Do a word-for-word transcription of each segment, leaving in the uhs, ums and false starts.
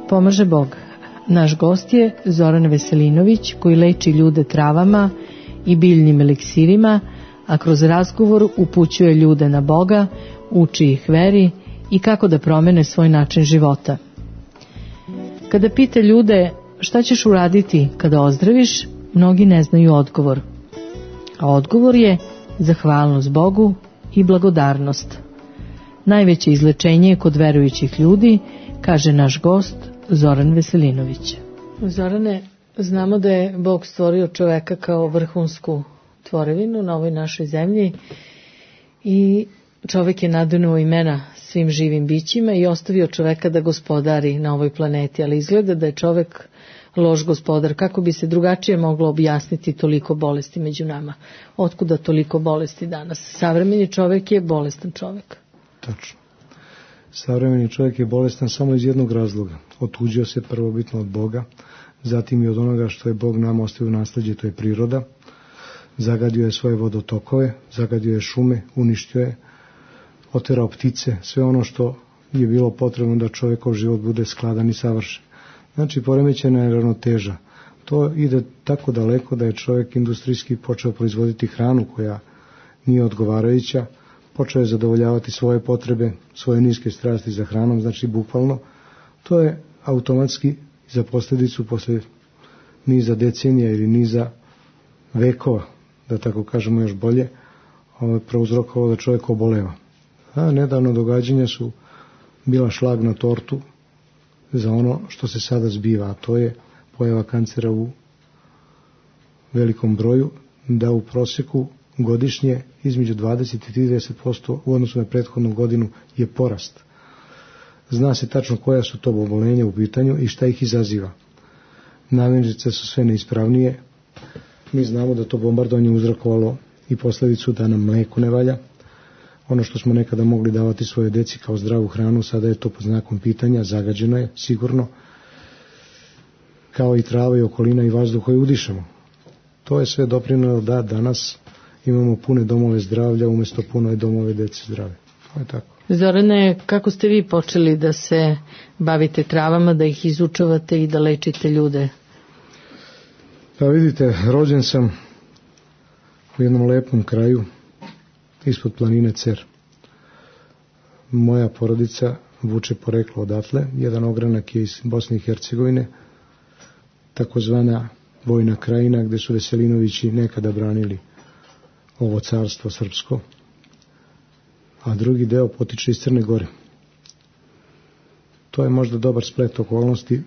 pomaže Bog. Naš gost je Zoran Veselinović, koji leči ljude travama i biljnim eliksirima, a kroz razgovor upućuje ljude na Boga, uči ih veri i kako da promene svoj način života. Kada pita ljude šta ćeš uraditi kada ozdraviš, mnogi ne znaju odgovor. A odgovor je zahvalnost Bogu i blagodarnost. Najveće izlečenje je kod verujućih ljudi, kaže naš gost Zoran Veselinović. Zorane, znamo da je Bog stvorio čoveka kao vrhunsku tvorevinu na ovoj našoj zemlji i čovek je naduneo imena svim živim bićima i ostavio čoveka da gospodari na ovoj planeti, ali izgleda da je čovek loš gospodar. Kako bi se drugačije moglo objasniti toliko bolesti među nama? Otkuda toliko bolesti danas? Savremeni čovek je bolestan čovek. Tačno. Savremeni čovjek je bolestan samo iz jednog razloga. Otuđio se prvobitno od Boga, zatim i od onoga što je Bog nam ostavio u nasleđe, to je priroda. Zagadio je svoje vodotokove, zagadio je šume, uništio je, oterao ptice, sve ono što je bilo potrebno da čovjekov život bude skladan i savršen. Znači, poremećena je ravnoteža. To ide tako daleko da je čovjek industrijski počeo proizvoditi hranu koja nije odgovarajuća, počeo je zadovoljavati svoje potrebe, svoje niske strasti za hranom, znači bukvalno. To je automatski za posljedicu posle niza decenija ili niza vekova, da tako kažemo još bolje, prouzrokovalo da čovjek oboleva. A nedavno događanja su bila šlag na tortu za ono što se sada zbiva, a to je pojava kancera u velikom broju, da u prosjeku godišnje između dvadeset i trideset posto u odnosu na prethodnu godinu je porast. Zna se tačno koja su to oboljenja u pitanju i šta ih izaziva. Namirnice su sve neispravnije. Mi znamo da to bombardovanje uzrokovalo i posljedicu da nam mlijeko ne valja. Ono što smo nekada mogli davati svoje deci kao zdravu hranu, sada je to pod znakom pitanja, zagađeno je sigurno, kao i trava i okolina i vazduh koji udišemo. To je sve doprinelo da danas imamo pune domove zdravlja umjesto punoj domove dece zdrave. To je tako. Zorane, kako ste vi počeli da se bavite travama, da ih izučavate i da lečite ljude? Pa vidite, rođen sam u jednom lepom kraju ispod planine Cer. Moja porodica vuče poreklo odatle. Jedan ogranak je iz Bosne i Hercegovine, takozvana Vojna krajina, gde su Veselinovići nekada branili ovo carstvo srpsko, a drugi deo potiče iz Crne Gore. To je možda dobar splet okolnosti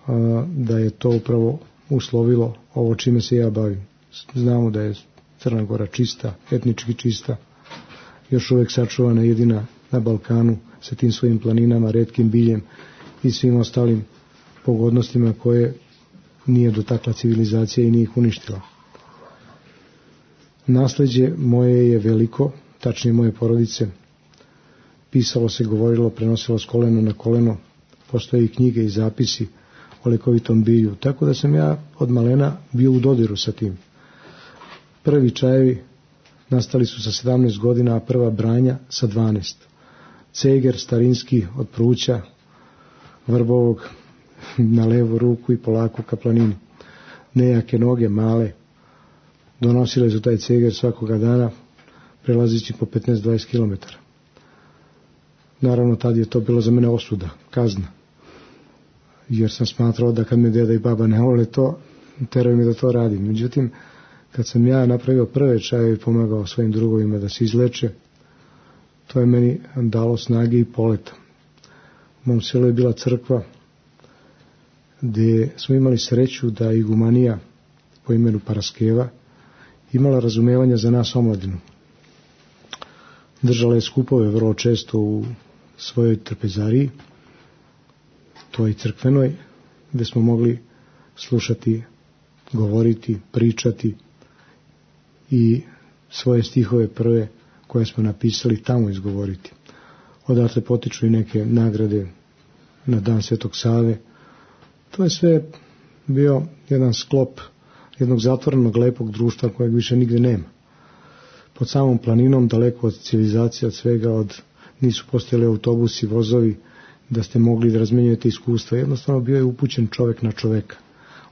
a, da je to upravo uslovilo ovo čime se ja bavim. Znamo da je Crna Gora čista, etnički čista, još uvek sačuvana jedina na Balkanu sa tim svojim planinama, retkim biljem i svim ostalim pogodnostima koje nije dotakla civilizacija i nije ih uništila. Nasleđe moje je veliko, tačnije moje porodice. Pisalo se, govorilo, prenosilo s koleno na koleno. Postoje i knjige i zapisi o lekovitom bilju. Tako da sam ja od malena bio u dodiru sa tim. Prvi čajevi nastali su sa sedamnaest godina, a prva branja sa dvanaest. Ceger starinski od pruća vrbovog na levu ruku i polako ka planini. Nejake noge, male, donosile su taj ceger svakoga dana, prelazići po petnaest do dvadeset kilometara. Naravno, tad je to bilo za mene osuda, kazna. Jer sam smatrao da kad me deda i baba ne vole to, teraju mi da to radim. Međutim, kad sam ja napravio prve čajeve i pomagao svojim drugovima da se izleče, to je meni dalo snage i poleta. U mom selu je bila crkva gdje smo imali sreću da igumanija po imenu Paraskeva imala razumevanja za nas omladinu. Držala je skupove vrlo često u svojoj trpezariji, toj crkvenoj, gdje smo mogli slušati, govoriti, pričati i svoje stihove prve koje smo napisali tamo izgovoriti. Odatle potiču i neke nagrade na dan Svetog Save. To je sve bio jedan sklop jednog zatvorenog lepog društva kojeg više nigde nema. Pod samom planinom, daleko od civilizacije, od svega, od, nisu postojali autobusi, vozovi, da ste mogli da razmenjujete iskustva. Jednostavno bio je upućen čovjek na čoveka.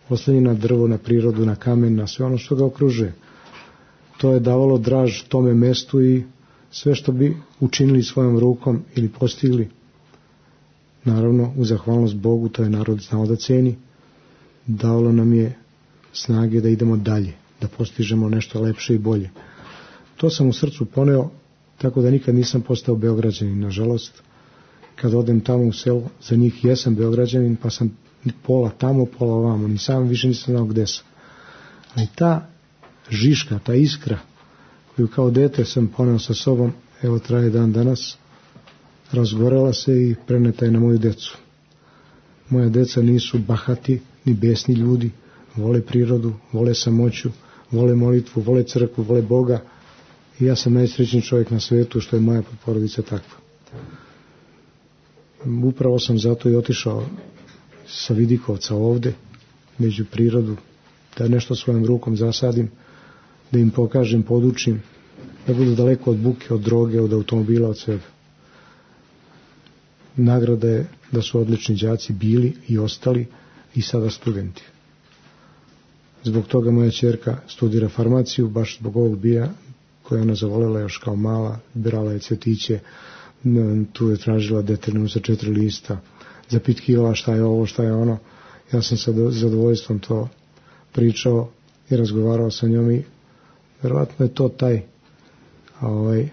Oslonjen na drvo, na prirodu, na kamen, na sve ono što ga okružuje. To je davalo draž tome mestu i sve što bi učinili svojom rukom ili postigli, naravno u zahvalnost Bogu, to je narod znao da ceni, davalo nam je snage da idemo dalje, da postižemo nešto lepše i bolje. To sam u srcu poneo, tako da nikad nisam postao Beograđanin, nažalost. Kad odem tamo u selo, za njih jesam Beograđanin, pa sam pola tamo, pola ovamo, ni sam više nisam znao gde sam. Ali ta žiška, ta iskra, koju kao dete sam poneo sa sobom, evo traje dan danas, razgorela se i preneta je na moju decu. Moja deca nisu bahati, ni besni ljudi, vole prirodu, vole samoću, vole molitvu, vole crkvu, vole Boga i ja sam najsrećniji čovjek na svetu što je moja porodica takva. Upravo sam zato i otišao sa Vidikovca ovde, među prirodu, da nešto svojom rukom zasadim, da im pokažem, podučim, da budu daleko od buke, od droge, od automobila, od svega. Nagrada je da su odlični đaci bili i ostali i sada studenti. Zbog toga moja ćerka studira farmaciju, baš zbog ovog bija koja ona zavolela još kao mala, birala je cvjetiće, tu je tražila detaljno sa četiri lista, zapitkivala šta je ovo, šta je ono. Ja sam sa zadovoljstvom to pričao i razgovarao sa njom i verovatno je to taj, ovaj,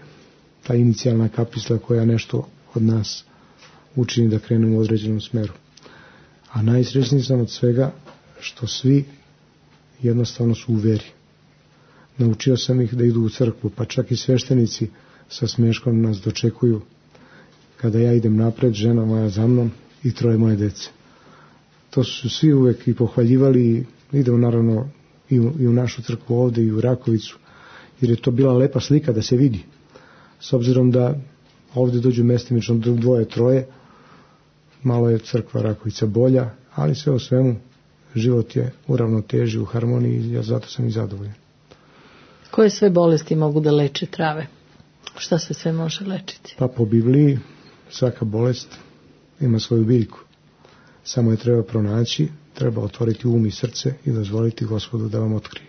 ta inicijalna kapisla koja nešto od nas učini da krenemo u određenom smeru. A najsrećniji sam od svega što svi jednostavno su u veri. Naučio sam ih da idu u crkvu, pa čak i sveštenici sa smeškom nas dočekuju kada ja idem napred, žena moja za mnom i troje moje dece. To su svi uvek i pohvaljivali i idemo naravno i u, i u našu crkvu ovde i u Rakovicu, jer je to bila lepa slika da se vidi. S obzirom da ovde dođu mestimično dvoje, troje, malo je crkva Rakovica bolja, ali sve o svemu život je u ravnoteži, u harmoniji i ja zato sam i zadovoljan. Koje sve bolesti mogu da leče trave? Šta se sve može lečiti? Pa po Bibliji svaka bolest ima svoju biljku. Samo je treba pronaći, treba otvoriti um i srce i dozvoliti Gospodu da vam otkrije.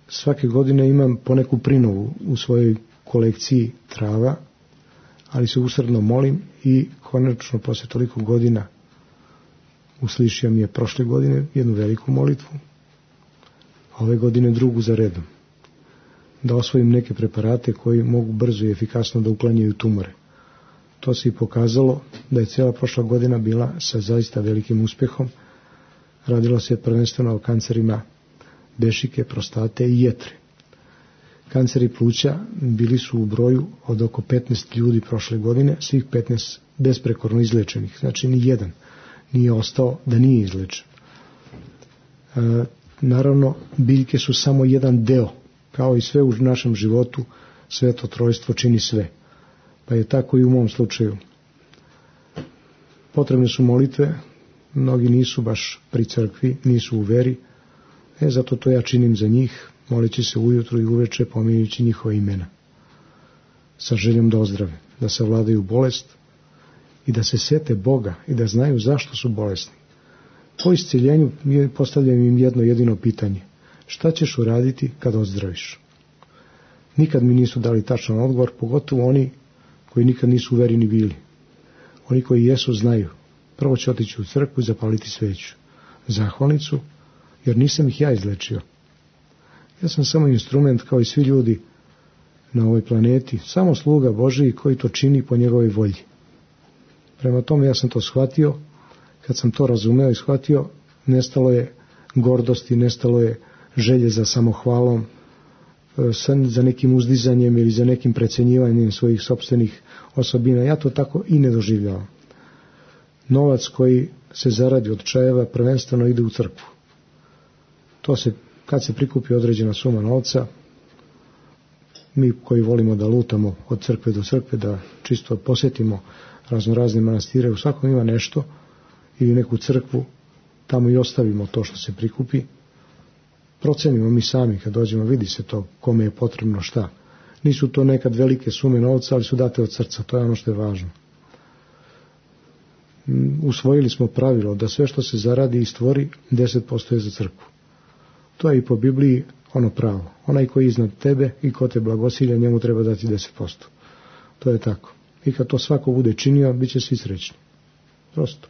Svake godine imam poneku prinovu u svojoj kolekciji trava, ali se usrdno molim i konačno posle toliko godina uslišio mi je prošle godine jednu veliku molitvu, a ove godine drugu za redom. Da osvojim neke preparate koji mogu brzo i efikasno da uklanjaju tumore. To se i pokazalo da je cijela prošla godina bila sa zaista velikim uspehom. Radilo se prvenstveno o kancerima dešike, prostate i jetre. Kanceri pluća bili su u broju od oko petnaest ljudi prošle godine, svih petnaest besprekorno izlečenih. Znači ni jedan nije ostao da nije izlečen. E, naravno, biljke su samo jedan deo. Kao i sve u našem životu, Sveto Trojstvo čini sve. Pa je tako i u mom slučaju. Potrebne su molitve, mnogi nisu baš pri crkvi, nisu u veri, e, zato to ja činim za njih, moleći se ujutru i uveče pominjući njihova imena. Sa željom da ozdrave, da se vladaju bolest i da se sete Boga i da znaju zašto su bolesni. Po isceljenju postavljam im jedno jedino pitanje. Šta ćeš uraditi kad ozdraviš? Nikad mi nisu dali tačan odgovor, pogotovo oni koji nikad nisu u veri ni bili. Oni koji jesu znaju. Prvo će otići u crkvu i zapaliti sveću. Zahvalnicu, jer nisam ih ja izlečio. Ja sam samo instrument kao i svi ljudi na ovoj planeti, samo sluga Božiji koji to čini po njegovoj volji. Prema tome ja sam to shvatio, kad sam to razumeo i shvatio, nestalo je gordosti, nestalo je želje za samohvalom, za nekim uzdizanjem ili za nekim precenjivanjem svojih sopstvenih osobina. Ja to tako i ne doživljavam. Novac koji se zaradi od čajeva prvenstveno ide u crkvu. To se, kad se prikupi određena suma novca, mi koji volimo da lutamo od crkve do crkve, da čisto posjetimo raznorazne manastire, u svakom ima nešto ili neku crkvu, tamo i ostavimo to što se prikupi. Procenimo mi sami kad dođemo, vidi se to kome je potrebno šta. Nisu to nekad velike sume novca, ali su date od srca, to je ono što je važno. usvojili smo pravilo da sve što se zaradi i stvori, deset posto je za crkvu. To je i po Bibliji ono pravo. Onaj koji je iznad tebe i ko te blagosilja, njemu treba dati deset posto. To je tako. I kad to svako bude činio, bit će svi srećni. Prosto.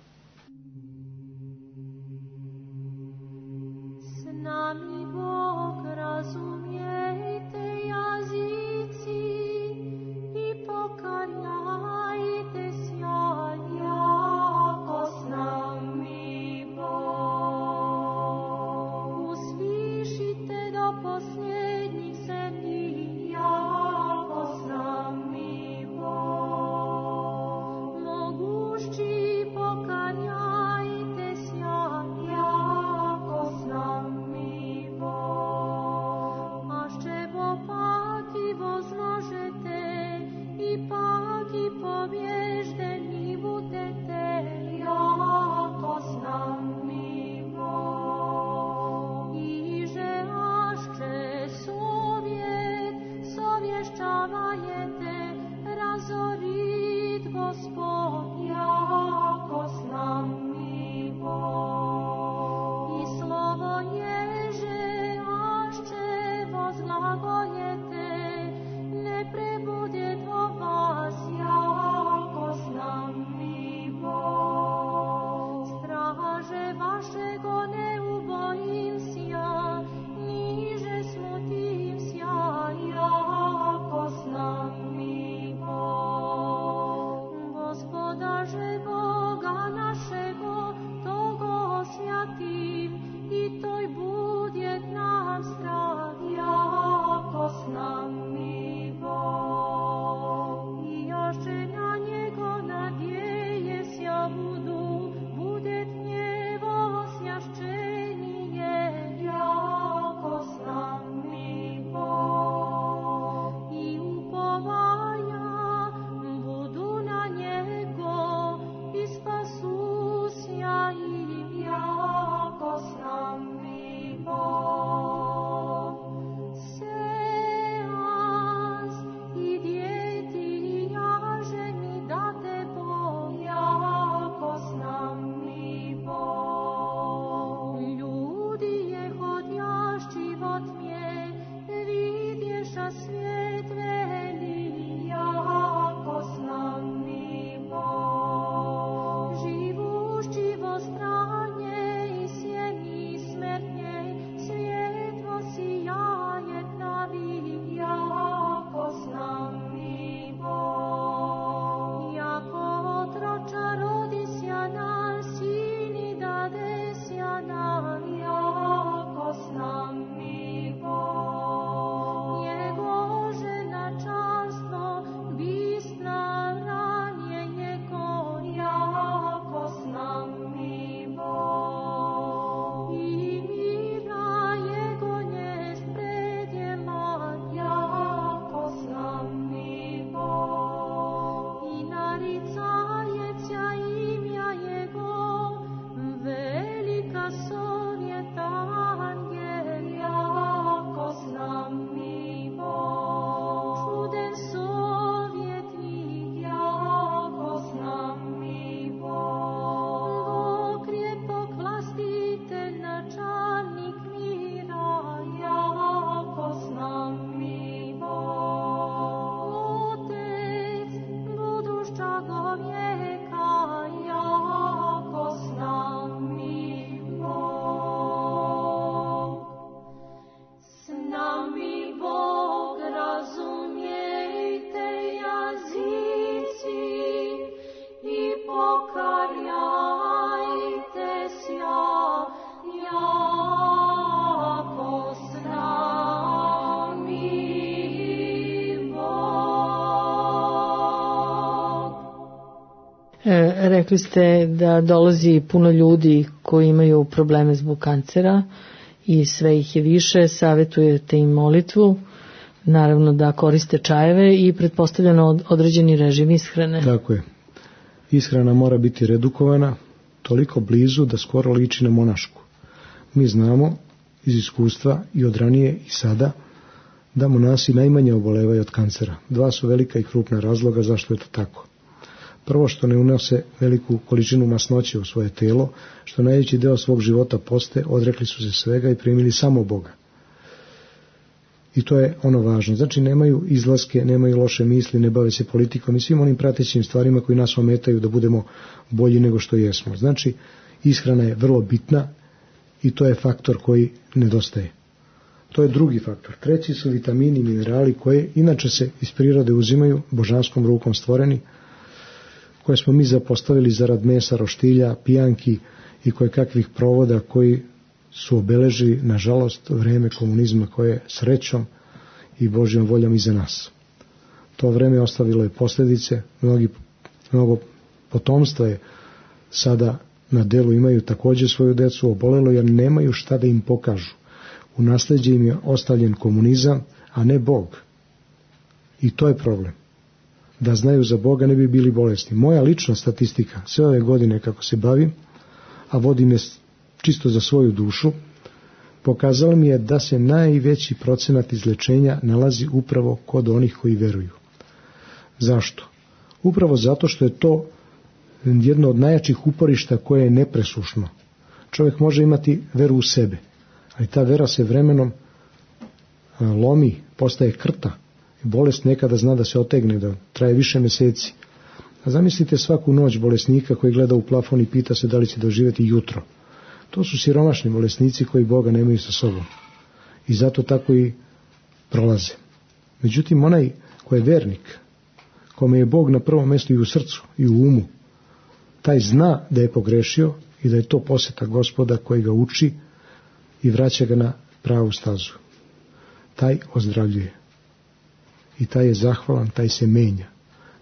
Rekli ste da dolazi puno ljudi koji imaju probleme zbog kancera i sve ih je više, savjetujete im molitvu, naravno da koriste čajeve i pretpostavljeno određeni režim ishrane. Tako je. Ishrana mora biti redukovana, toliko blizu da skoro liči na monašku. Mi znamo iz iskustva i od ranije i sada da monasi najmanje obolevaju od kancera. Dva su velika i krupna razloga zašto je to tako. Prvo, što ne unose veliku količinu masnoće u svoje telo, što najveći deo svog života poste, odrekli su se svega i primili samo Boga. I to je ono važno. Znači, nemaju izlaske, nemaju loše misli, ne bave se politikom i svim onim pratećim stvarima koji nas ometaju da budemo bolji nego što jesmo. Znači, ishrana je vrlo bitna i to je faktor koji nedostaje. To je drugi faktor. Treći su vitamini i minerali koje inače se iz prirode uzimaju, božanskom rukom stvoreni, koje smo mi zapostavili zarad mesa, roštilja, pijanki i koje kakvih provoda koji su obeležili, nažalost, vreme komunizma koje je srećom i Božjom voljom iza nas. To vreme ostavilo je posljedice, mnogi, mnogo potomstva je sada na delu, imaju također svoju decu obolelo jer nemaju šta da im pokažu. U nasleđe im je ostavljen komunizam, a ne Bog. I to je problem. Da znaju za Boga ne bi bili bolesni. Moja lična statistika, sve ove godine kako se bavim, a vodim je čisto za svoju dušu, pokazalo mi je da se najveći procenat izlečenja nalazi upravo kod onih koji veruju. Zašto? Upravo zato što je to jedno od najjačih uporišta koje je nepresušno. Čovjek može imati veru u sebe, ali ta vera se vremenom lomi, postaje krta. Bolest nekada zna da se otegne, da traje više mjeseci. A zamislite svaku noć bolesnika koji gleda u plafon i pita se da li će doživjeti jutro. To su siromašni bolesnici koji Boga nemaju sa sobom. I zato tako i prolaze. Međutim, onaj koji je vernik, kome je Bog na prvom mjestu i u srcu i u umu, taj zna da je pogrešio i da je to posjeta Gospoda koji ga uči i vraća ga na pravu stazu. Taj ozdravljuje. I taj je zahvalan, taj se menja.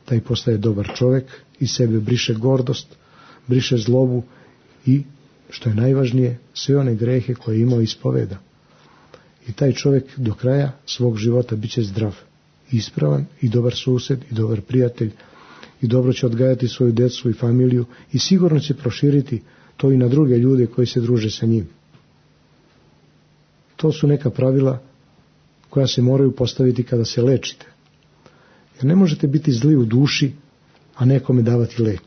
Taj postaje dobar čovjek i sebe briše gordost, briše zlobu i, što je najvažnije, sve one grehe koje je imao ispoveda. I taj čovjek do kraja svog života bit će zdrav, ispravan i dobar sused i dobar prijatelj i dobro će odgajati svoju djecu i familiju i sigurno će proširiti to i na druge ljude koji se druže sa njim. To su neka pravila koja se moraju postaviti kada se lečite. Jer ne možete biti zli u duši, a nekome davati lek.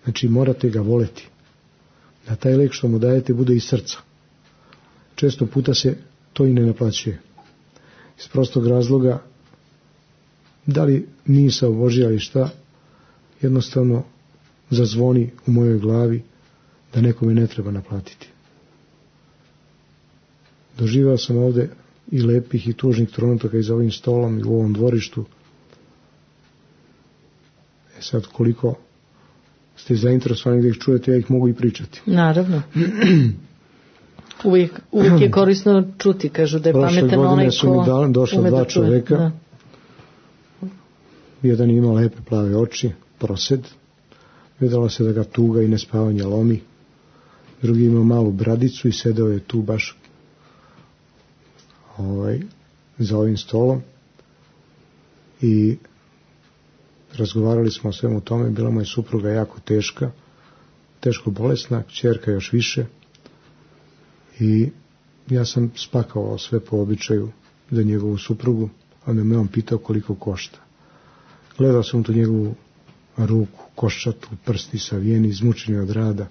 Znači morate ga voleti. Da taj lek što mu dajete bude iz srca. Često puta se to i ne naplaćuje. Iz prostog razloga, da li misao Božja ili šta, jednostavno zazvoni u mojoj glavi da nekome ne treba naplatiti. Doživao sam ovdje i lepih i tužnih trenutaka i za ovim stolom i u ovom dvorištu. E sad, koliko ste zainteresovani da ih čujete, ja ih mogu i pričati. Naravno. uvijek, uvijek je korisno čuti, kažu da je pametan onaj ko su mi dali, došla dva čoveka. Da. Jedan ima lepe plave oči, prosed. Vidjelo se da ga tuga i nespavanje lomi. Drugi ima malu bradicu i sedeo je tu baš ovaj, za ovim stolom. I razgovarali smo o svemu tome. Bila mu je supruga jako teška, teško bolesna, kćerka još više. I ja sam spakovao sve po običaju za njegovu suprugu, a onda me on pitao koliko košta. Gledao sam tu njegovu ruku, koščatu, prsti savijeni, izmučeni od rada.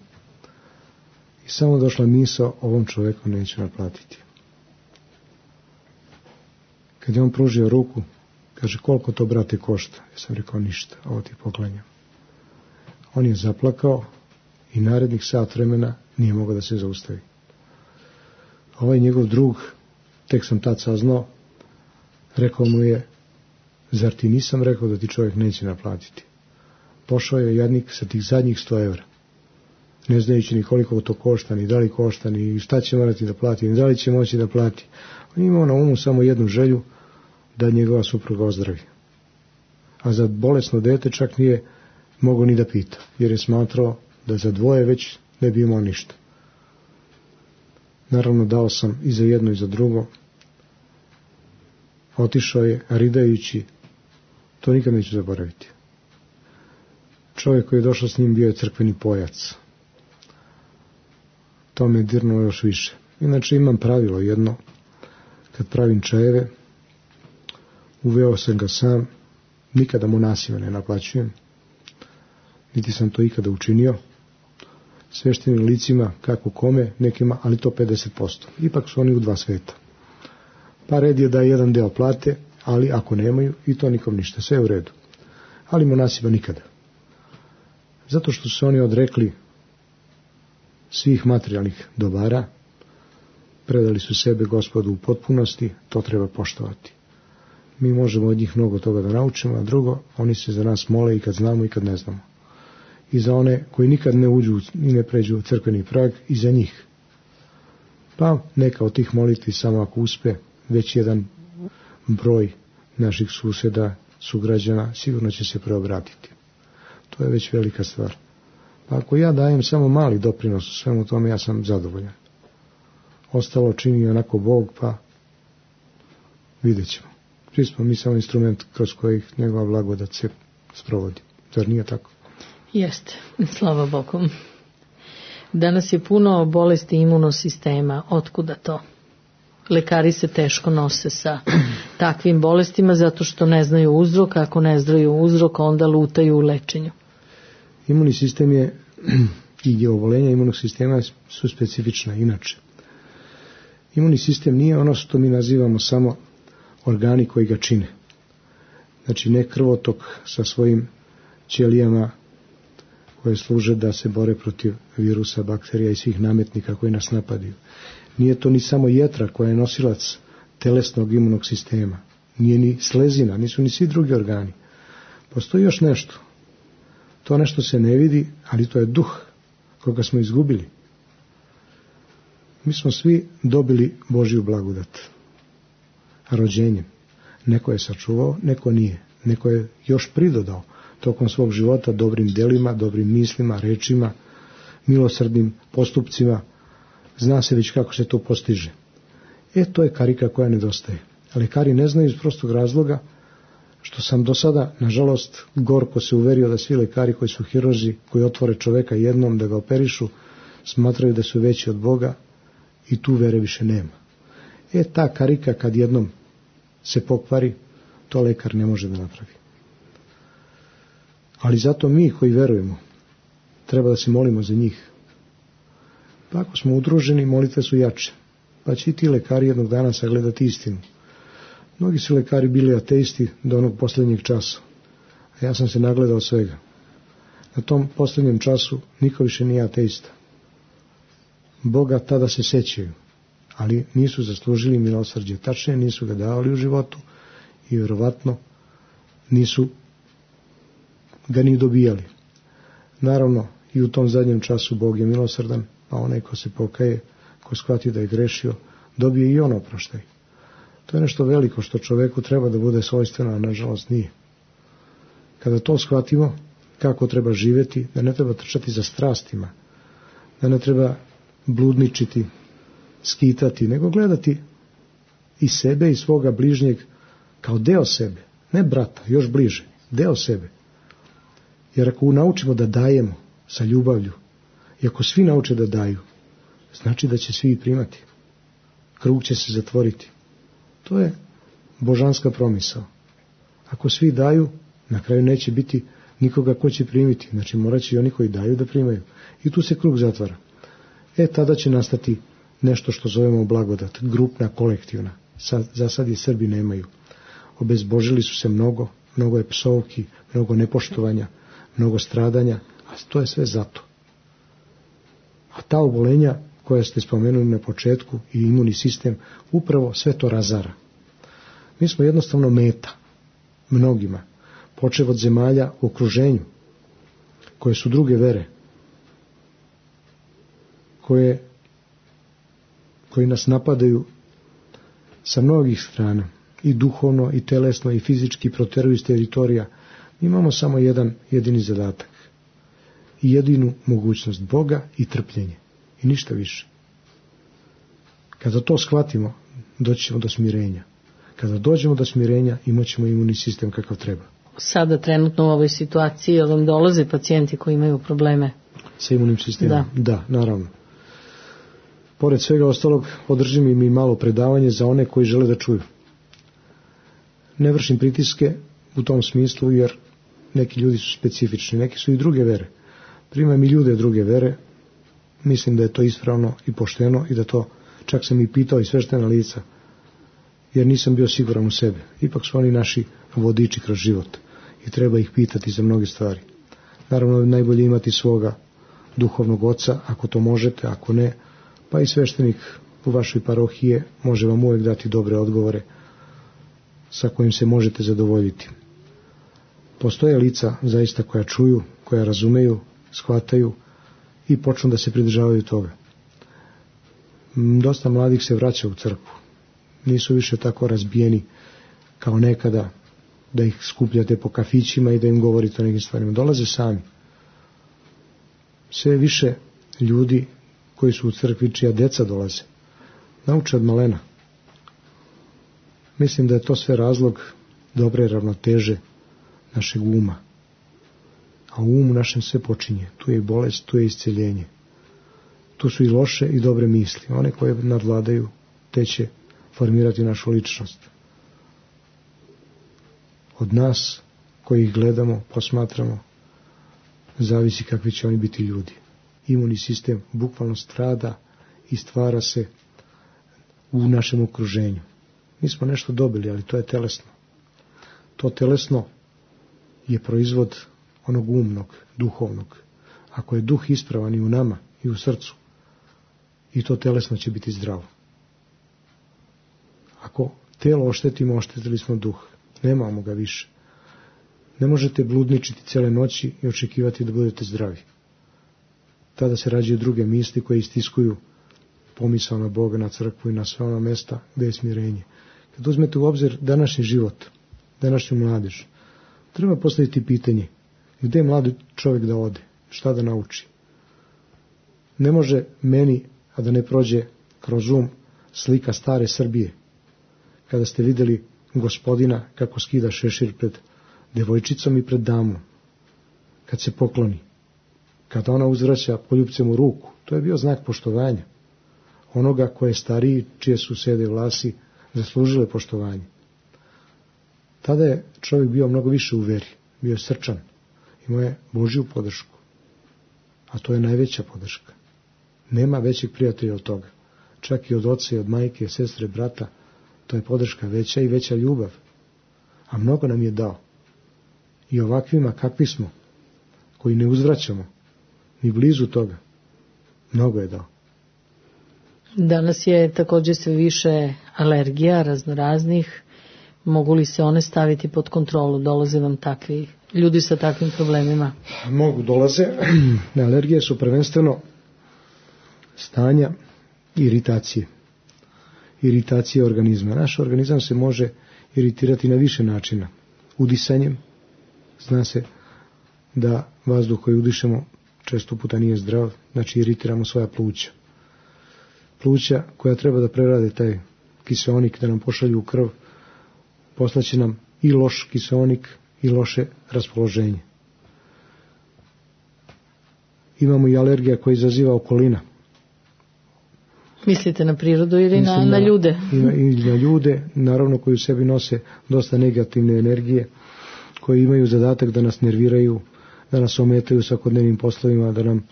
I samo došla misao, ovom čovjeku neću naplatiti. Kad je on pružio ruku, kaže, koliko to, brate, košta? Ja sam rekao, ništa, ovo ti poklanjam. On je zaplakao i narednih sat vremena nije mogao da se zaustavi. Ovaj njegov drug, tek sam tad saznao, rekao mu je, zar ti nisam rekao da ti čovjek neće naplatiti? Pošao je jadnik sa tih zadnjih sto evra, ne znajući ni koliko to košta, ni da li košta, ni šta će morati da plati, ni da li će moći da plati. On imao na umu samo jednu želju, da njegova supruga ozdravi. A za bolesno dete čak nije mogao ni da pita, jer je smatrao da za dvoje već ne bi imao ništa. Naravno, dao sam i za jedno i za drugo. Otišao je, ridajući, to nikad neću zaboraviti. Čovjek koji je došao s njim bio je crkveni pojac. To me dirnulo još više. Inače imam pravilo jedno, kad pravim čajeve, uveo sam ga sam, nikada mu nasilno ne naplaćujem. niti sam to ikada učinio. Sveštenim licima, kako kome, nekima, ali to pedeset posto. Ipak su oni u dva sveta. Pa red je da jedan deo plate, ali ako nemaju, i to nikom ništa, sve je u redu. Ali monasima nikada. Zato što su se oni odrekli svih materijalnih dobara, predali su sebe Gospodu u potpunosti, to treba poštovati. Mi možemo od njih mnogo toga da naučimo, a drugo, oni se za nas mole i kad znamo i kad ne znamo. I za one koji nikad ne uđu i ne pređu u crkveni prag, i za njih. Pa neka od tih molitvi, samo ako uspe, već jedan broj naših susjeda, sugrađana, sigurno će se preobratiti. To je već velika stvar. Pa ako ja dajem samo mali doprinos u svemu tome, ja sam zadovoljan. Ostalo čini onako Bog, pa vidjet ćemo. Svi smo mi samo instrument kroz kojih njegova blagodat se sprovodi. Zar nije tako? Jeste, slava Bogu. Danas je puno bolesti imunosistema. Otkuda to? Lekari se teško nose sa takvim bolestima zato što ne znaju uzrok. Ako ne znaju uzrok, onda lutaju u lečenju. Imunni sistem je i oboljenja imunog sistema su specifična inače. Imunni sistem nije ono što mi nazivamo samo organi koji ga čine. Znači ne krvotok sa svojim ćelijama koje služe da se bore protiv virusa, bakterija i svih nametnika koji nas napadaju. Nije to ni samo jetra koja je nosilac telesnog imunog sistema. Nije ni slezina, nisu ni svi drugi organi. Postoji još nešto. To nešto se ne vidi, ali to je duh koga smo izgubili. Mi smo svi dobili Božju blagodat. Rođenjem. Neko je sačuvao, neko nije. Neko je još pridodao tokom svog života dobrim delima, dobrim mislima, rečima, milosrdnim postupcima. Zna se već kako se to postiže. E, to je karika koja nedostaje. Lekari ne znaju iz prostog razloga što sam do sada, nažalost, gorko se uverio da svi lekari koji su hirurzi, koji otvore čoveka jednom da ga operišu, smatraju da su veći od Boga i tu vere više nema. E, ta karika kad jednom se pokvari, to lekar ne može da napravi. Ali zato mi koji verujemo, treba da se molimo za njih. Pa ako smo udruženi, molitve su jače. Pa će i ti lekari jednog dana sagledati istinu. Mnogi su lekari bili ateisti do onog posljednjeg časa. A ja sam se nagledao svega. Na tom posljednjem času niko više nije ateista. Boga tada se sećaju, ali nisu zaslužili milosrđe. Tačnije nisu ga davali u životu i vjerovatno nisu ga ni dobijali. Naravno, i u tom zadnjem času Bog je milosrdan, a onaj ko se pokaje, ko shvati da je grešio, dobije i on oproštaj. To je nešto veliko što čoveku treba da bude svojstveno, a nažalost nije. Kada to shvatimo, kako treba živjeti, da ne treba trčati za strastima, da ne treba bludničiti, skitati, nego gledati i sebe i svoga bližnjeg kao deo sebe, ne brata, još bliže, deo sebe. Jer ako naučimo da dajemo sa ljubavlju, i ako svi nauče da daju, znači da će svi i primati. Krug će se zatvoriti. To je božanska promisao. Ako svi daju, na kraju neće biti nikoga ko će primiti. Znači morat će i oni koji daju da primaju. I tu se krug zatvara. E, tada će nastati nešto što zovemo blagodat, grupna, kolektivna. Sad, za sad je Srbi nemaju. Obezbožili su se mnogo, mnogo je psovki, mnogo nepoštovanja, mnogo stradanja, a to je sve zato. A ta obolenja koja ste spomenuli na početku i imunni sistem, upravo sve to razara. Mi smo jednostavno meta mnogima, počev od zemalja u okruženju, koje su druge vere, koje, koji nas napadaju sa mnogih strana, i duhovno, i telesno, i fizički proteruju iz teritorija. Mi imamo samo jedan jedini zadatak i jedinu mogućnost, Boga i trpljenje. I ništa više. Kada to shvatimo, doći ćemo do smirenja. Kada dođemo do smirenja, imat ćemo imunni sistem kakav treba. Sada trenutno u ovoj situaciji vam dolaze pacijenti koji imaju probleme sa imunnim sistemom? Da, da, naravno. Pored svega ostalog, održim im i malo predavanje za one koji žele da čuju. Ne vršim pritiske u tom smislu, jer neki ljudi su specifični, neki su i druge vere. Primam i ljude druge vere, mislim da je to ispravno i pošteno i da to, čak sam i pitao i sveštena lica, jer nisam bio siguran u sebe. Ipak su oni naši vodiči kroz život i treba ih pitati za mnoge stvari. Naravno, najbolje imati svoga duhovnog oca, ako to možete, ako ne, pa i sveštenik u vašoj parohiji može vam uvijek dati dobre odgovore sa kojim se možete zadovoljiti. Postoje lica zaista koja čuju, koja razumeju, shvataju i počnu da se pridržavaju toga. Dosta mladih se vraća u crkvu. Nisu više tako razbijeni kao nekada, da ih skupljate po kafićima i da im govorite o nekim stvarima. Dolaze sami. Sve više ljudi koji su u crkvi, čija deca dolaze, nauče od malena. Mislim da je to sve razlog dobre ravnoteže našeg uma. A u umu našem sve počinje. Tu je i bolest, tu je isceljenje. Tu su i loše i dobre misli. One koje nadvladaju, te će formirati našu ličnost. Od nas koji ih gledamo, posmatramo, zavisi kakvi će oni biti ljudi. Imunni sistem bukvalno strada i stvara se u našem okruženju. Mi smo nešto dobili, ali to je telesno. To telesno je proizvod onog umnog, duhovnog. Ako je duh ispravan i u nama i u srcu, i to telesno će biti zdravo. Ako telo oštetimo, oštetili smo duh. Nemamo ga više. Ne možete bludničiti cijele noći i očekivati da budete zdravi. Tada se rađaju druge misli koje istiskuju pomisao na Boga, na crkvu i na sve ona mesta gdje je smirenje. Kad uzmete u obzir današnji život, današnju mladež, treba postaviti pitanje gdje mladi čovjek da ode, šta da nauči. Ne može meni, a da ne prođe kroz um slika stare Srbije, kada ste vidjeli gospodina kako skida šešir pred devojčicom i pred damom, kad se pokloni, kada ona uzvraća poljupcem u ruku, to je bio znak poštovanja. Onoga koje je stariji, čije su sede vlasi, zaslužile poštovanje. Tada je čovjek bio mnogo više u veri, bio je srčan, imao je Božju podršku, a to je najveća podrška. Nema većeg prijatelja od toga. Čak i od oca i od majke, sestre, brata, to je podrška veća i veća ljubav. A mnogo nam je dao. I ovakvima kakvi smo, koji ne uzvraćamo, ni blizu toga, mnogo je dao. Danas je također sve više alergija raznoraznih. Mogu li se one staviti pod kontrolu? Dolaze vam takvi ljudi sa takvim problemima? Mogu, dolaze. Alergije su prvenstveno stanja iritacije. Iritacije organizma. Naš organizam se može iritirati na više načina. Udisanjem. Zna se da vazduh koji udišemo često puta nije zdrav, znači iritiramo svoja pluća. Pluća koja treba da prerade taj kiseonik, da nam pošalju u krv, poslaće nam i loš kiseonik i loše raspoloženje. Imamo i alergija koja izaziva okolina. Mislite na prirodu ili na, na, na ljude? I na, i na ljude, naravno, koji u sebi nose dosta negativne energije, koji imaju zadatak da nas nerviraju, da nas ometaju svakodnevnim poslovima, da nam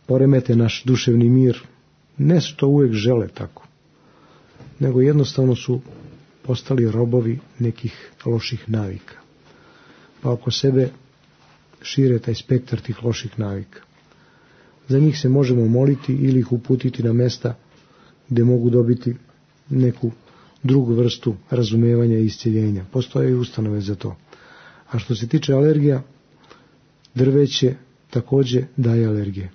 poremete naš duševni mir. Ne što uvijek žele tako, nego jednostavno su postali robovi nekih loših navika. Pa oko sebe šire taj spektar tih loših navika. Za njih se možemo moliti ili ih uputiti na mesta gdje mogu dobiti neku drugu vrstu razumevanja i iscjeljenja. Postoje i ustanove za to. A što se tiče alergija, drveće također daje alergije.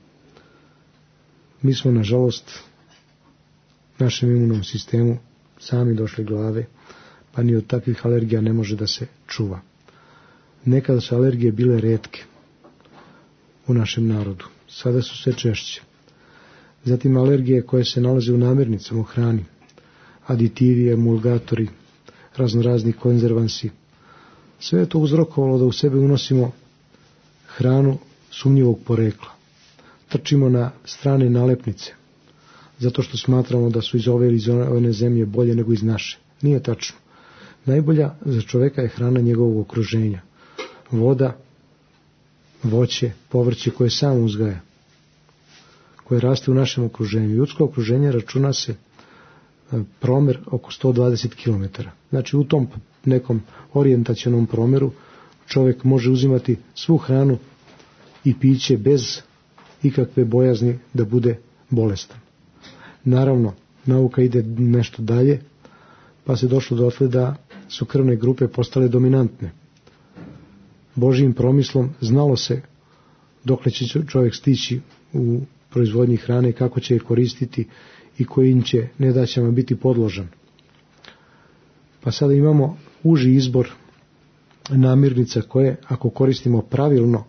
Mi smo, nažalost, našem imunom sistemu sami došli glave, pa ni od takvih alergija ne može da se čuva. Nekada su alergije bile retke u našem narodu, sada su sve češće. Zatim alergije koje se nalaze u namirnicama, u hrani, aditivi, emulgatori, raznorazni konzervansi. Sve je to uzrokovalo da u sebe unosimo hranu sumnjivog porekla. Trčimo na strane nalepnice, zato što smatramo da su iz ove ili iz one zemlje bolje nego iz naše. Nije tačno. Najbolja za čovjeka je hrana njegovog okruženja. voda, voće, povrće koje sam uzgaja, koje raste u našem okruženju. Ljudsko okruženje računa se promer oko sto dvadeset kilometara. Znači u tom nekom orijentacionom promeru čovjek može uzimati svu hranu i piće bez ikakve bojazni da bude bolestan. Naravno, nauka ide nešto dalje, pa se došlo dotle da su krvne grupe postale dominantne. Božjim promislom znalo se dokle će čovjek stići u proizvodnji hrane, kako će je koristiti i kojim će nedaćama biti podložan. Pa sada imamo uži izbor namirnica koje, ako koristimo pravilno,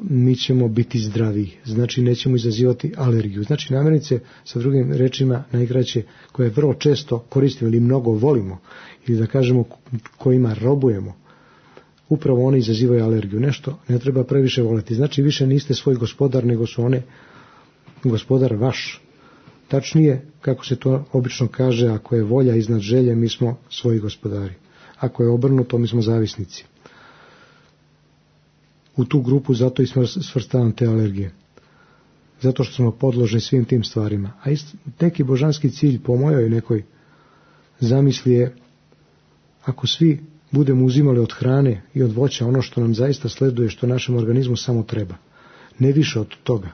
mi ćemo biti zdraviji. Znači nećemo izazivati alergiju. Znači namirnice, sa drugim rečima, najkraće, koje vrlo često koristimo ili mnogo volimo, ili da kažemo kojima robujemo, upravo one izazivaju alergiju. Nešto ne treba previše voleti. Znači više niste svoj gospodar, nego su one gospodar vaš. Tačnije, kako se to obično kaže, ako je volja iznad želje, mi smo svoji gospodari. Ako je obrnuto, mi smo zavisnici. U tu grupu zato i svrstavam te alergije. Zato što smo podložni svim tim stvarima. A isto, neki božanski cilj po mojoj nekoj zamisli je, ako svi budemo uzimali od hrane i od voća ono što nam zaista sleduje, što našem organizmu samo treba, ne više od toga,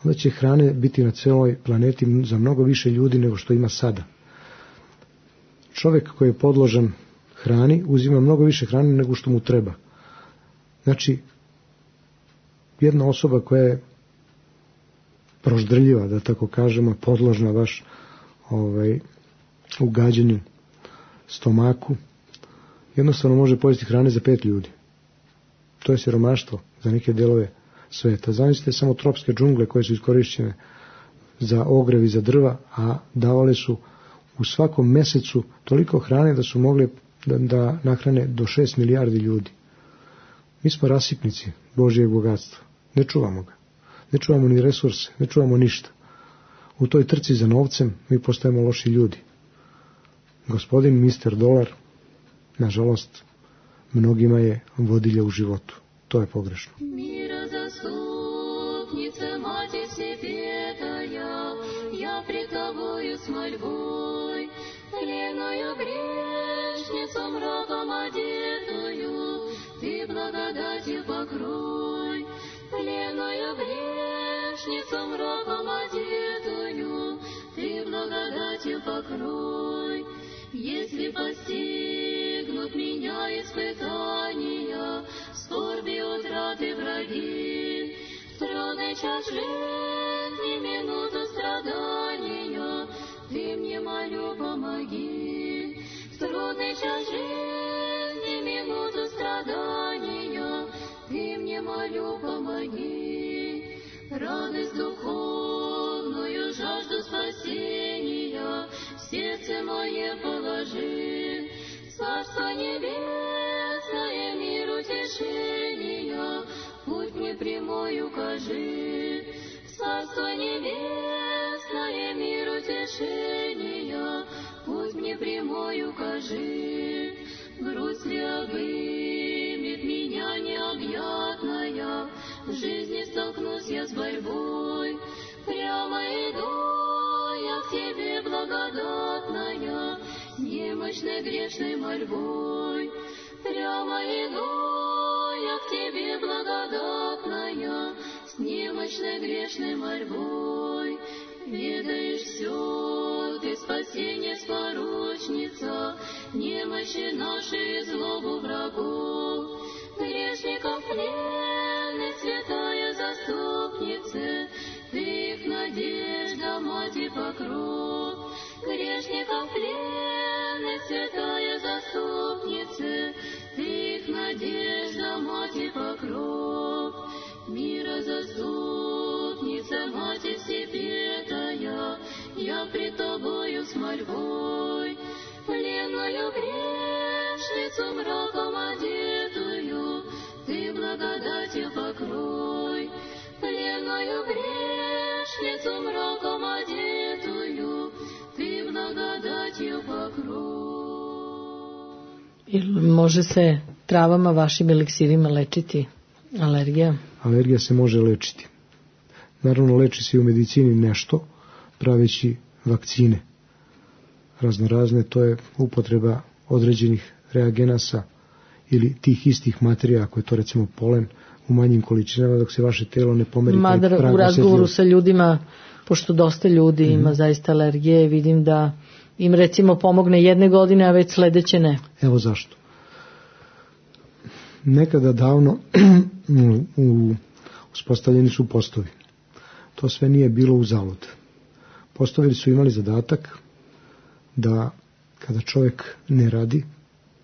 onda će hrane biti na celoj planeti za mnogo više ljudi nego što ima sada. Čovjek koji je podložan hrani uzima mnogo više hrane nego što mu treba. Znači, jedna osoba koja je proždrljiva, da tako kažemo, podložna baš ovaj, ugađanju stomaku, jednostavno može pojesti hrane za pet ljudi. To je siromaštvo za neke delove sveta. Zamislite samo tropske džungle koje su iskorišćene za ogrev i za drva, a davale su u svakom mesecu toliko hrane da su mogli da, da nahrane do šest milijardi ljudi. Mi smo rasipnici Božjeg bogatstva. Ne čuvamo ga. Ne čuvamo ni resurse, ne čuvamo ništa. U toj trci za novcem mi postajemo loši ljudi. Gospodin mister Dolar, nažalost, mnogima je vodilja u životu. To je pogrešno. Мира заступница, Матерь Всесвятая, я пред Тобою с мольбой, тленную грешницу мраком одетую, Ты благодатью покрой. Тленную грешницу мраком одетую, Ты благодатью покрой. Если постигнут меня испытания, скорби, утраты, враги, в трудный час жизни, минуту страдания, Ты мне, молю, помоги. В трудный час жизни, минуту страдания, Ты мне, молю, помоги. Радость духовную, жажду спасения в сердце мое положи. Царство небесное, мир утешения, путь мне прямой укажи. Царство небесное, мир утешения, путь мне прямой укажи. Грусть ли обымет меня необъятная, в жизни столкнусь я с борьбой. Прямо иду я к Тебе, благодатная, с немощной грешной мольбой. Прямо иду я к Тебе, благодатная, с немощной грешной мольбой. Ведаешь все, Ты спасение спорочница, немощи наши и злобу врагов. Грешников пленных, святая заступница, Ты их надежда, мать и покров. Грешников пленных, святая заступница, Ты их надежда, мать и покров. Мира заступница, Матерь Всесвятая, я пред Тобою с мольбой. Пленную грешницу мраком одетую, Ты благодатью покрой. Пленную грешницу мраком одетую, Ты благодатью покрой. Može se travama, vašim eliksirima lečiti alergija? Alergija se može lečiti. Naravno, leči se i u medicini nešto, praveći vakcine raznorazne, to je upotreba određenih reagenasa ili tih istih materija, ako je to recimo polen, u manjim količinama, dok se vaše telo ne pomeri. Mada u razgovoru sa ljudima, pošto dosta ljudi mm-hmm. ima zaista alergije, vidim da im recimo pomogne jedne godine, a već sledeće ne. Evo zašto. Nekada davno u, uspostavljeni su postovi. To sve nije bilo uzalud. Postovi su imali zadatak da kada čovjek ne radi,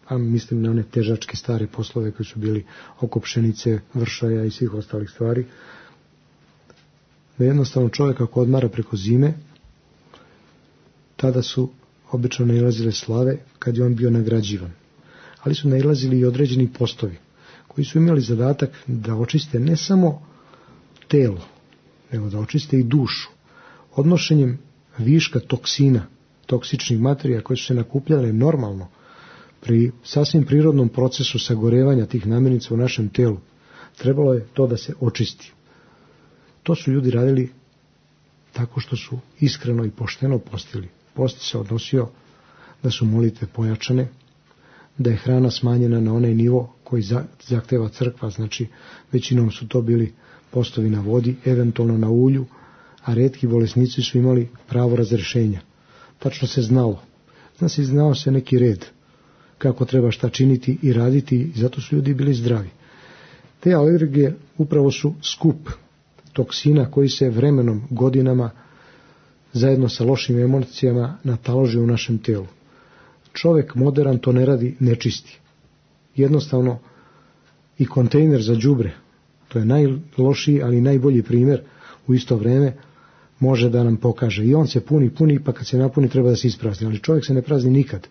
a mislim na one težačke stare poslove koji su bili oko pšenice, vršaja i svih ostalih stvari, da jednostavno čovjek ako odmara preko zime, tada su obično nailazile slave kad je on bio nagrađivan. Ali su nailazili i određeni postovi koji su imali zadatak da očiste ne samo telo, nego da očiste i dušu. Odnošenjem viška toksina, toksičnih materija koje su se nakupljale normalno pri sasvim prirodnom procesu sagorevanja tih namirnica u našem telu, trebalo je to da se očisti. To su ljudi radili tako što su iskreno i pošteno postili. Post se odnosio da su molitve pojačane, da je hrana smanjena na onaj nivo koji zahteva crkva, znači većinom su to bili postovi na vodi, eventualno na ulju, a retki bolesnici su imali pravo razrešenja. Tačno se znalo. Zna se, znao se neki red kako treba šta činiti i raditi i zato su ljudi bili zdravi. Te alergije upravo su skup toksina koji se vremenom, godinama, zajedno sa lošim emocijama nataloži u našem telu. Čovjek modern to ne radi, ne čisti. Jednostavno i kontejner za đubre, to je najlošiji, ali najbolji primjer u isto vrijeme, može da nam pokaže. I on se puni, puni, pa kad se napuni treba da se isprazni. Ali čovjek se ne prazni nikad.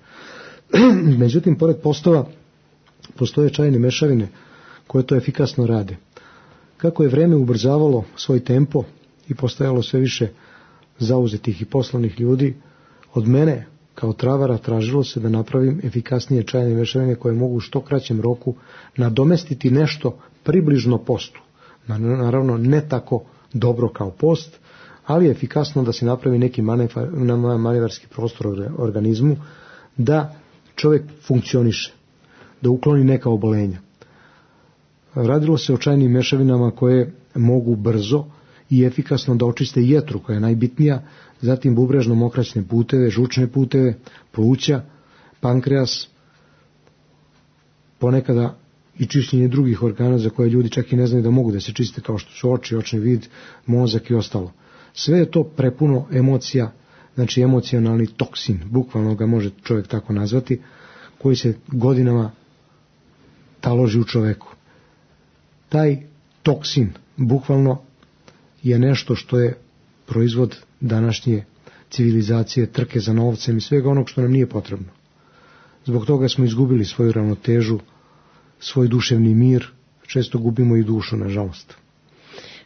Međutim, pored postova, postoje čajne mešavine koje to efikasno rade. Kako je vrijeme ubrzavalo svoj tempo i postajalo sve više zauzetih i poslovnih ljudi, od mene kao travara tražilo se da napravim efikasnije čajne mešavine koje mogu u što kraćem roku nadomestiti nešto približno postu. Naravno, ne tako dobro kao post, ali je efikasno da se napravi neki manevarski prostor u organizmu, da čovjek funkcioniše, da ukloni neka obolenja. Radilo se o čajnim mešavinama koje mogu brzo i efikasno da očiste jetru, koja je najbitnija, zatim bubrežno-mokraćne puteve, žučne puteve, pluća, pankreas, ponekada i čišćenje drugih organa za koje ljudi čak i ne znaju da mogu da se čiste, kao što su oči, očni vid, mozak i ostalo. Sve je to prepuno emocija, znači emocionalni toksin, bukvalno ga može čovjek tako nazvati, koji se godinama taloži u čoveku. Taj toksin bukvalno je nešto što je proizvod današnje civilizacije, trke za novcem i svega onog što nam nije potrebno. Zbog toga smo izgubili svoju ravnotežu, svoj duševni mir, često gubimo i dušu, nažalost.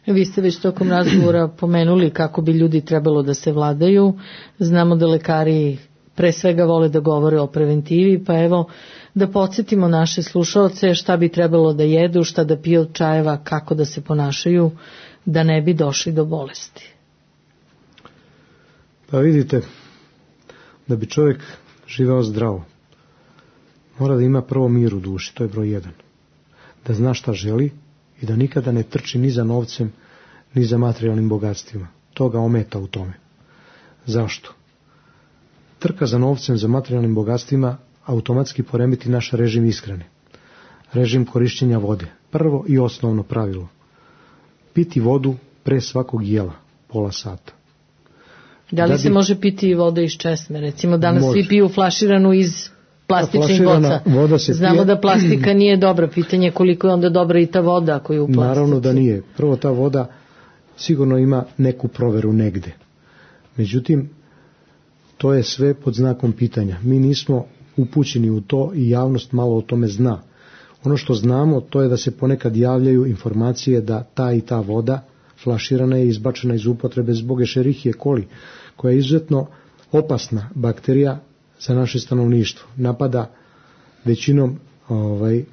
Vi ste već tokom razgovora pomenuli kako bi ljudi trebalo da se vladaju. Znamo da lekari pre svega vole da govore o preventivi, pa evo da podsjetimo naše slušaoce šta bi trebalo da jedu, šta da piju od čajeva, kako da se ponašaju, da ne bi došli do bolesti. Pa vidite, da bi čovjek živeo zdravo, mora da ima prvo mir u duši, to je broj jedan. Da zna šta želi i da nikada ne trči ni za novcem, ni za materijalnim bogatstvima. To ga ometa u tome. Zašto? Trka za novcem, za materijalnim bogatstvima automatski poremeti naš režim ishrane. Režim korišćenja vode. Prvo i osnovno pravilo. Piti vodu pre svakog jela, pola sata. Da li da bi... se može piti voda iz česme? Recimo danas može. Svi piju flaširanu iz plastičnih boca. Znamo pije... da plastika nije dobra. Pitanje koliko je onda dobra i ta voda koju je u plastici. Naravno da nije. Prvo, ta voda sigurno ima neku proveru negde. Međutim, to je sve pod znakom pitanja. Mi nismo upućeni u to i javnost malo o tome zna. Ono što znamo, to je da se ponekad javljaju informacije da ta i ta voda flaširana je izbačena iz upotrebe zbog Escherichie coli, koja je izuzetno opasna bakterija za naše stanovništvo. Napada većinom ovaj,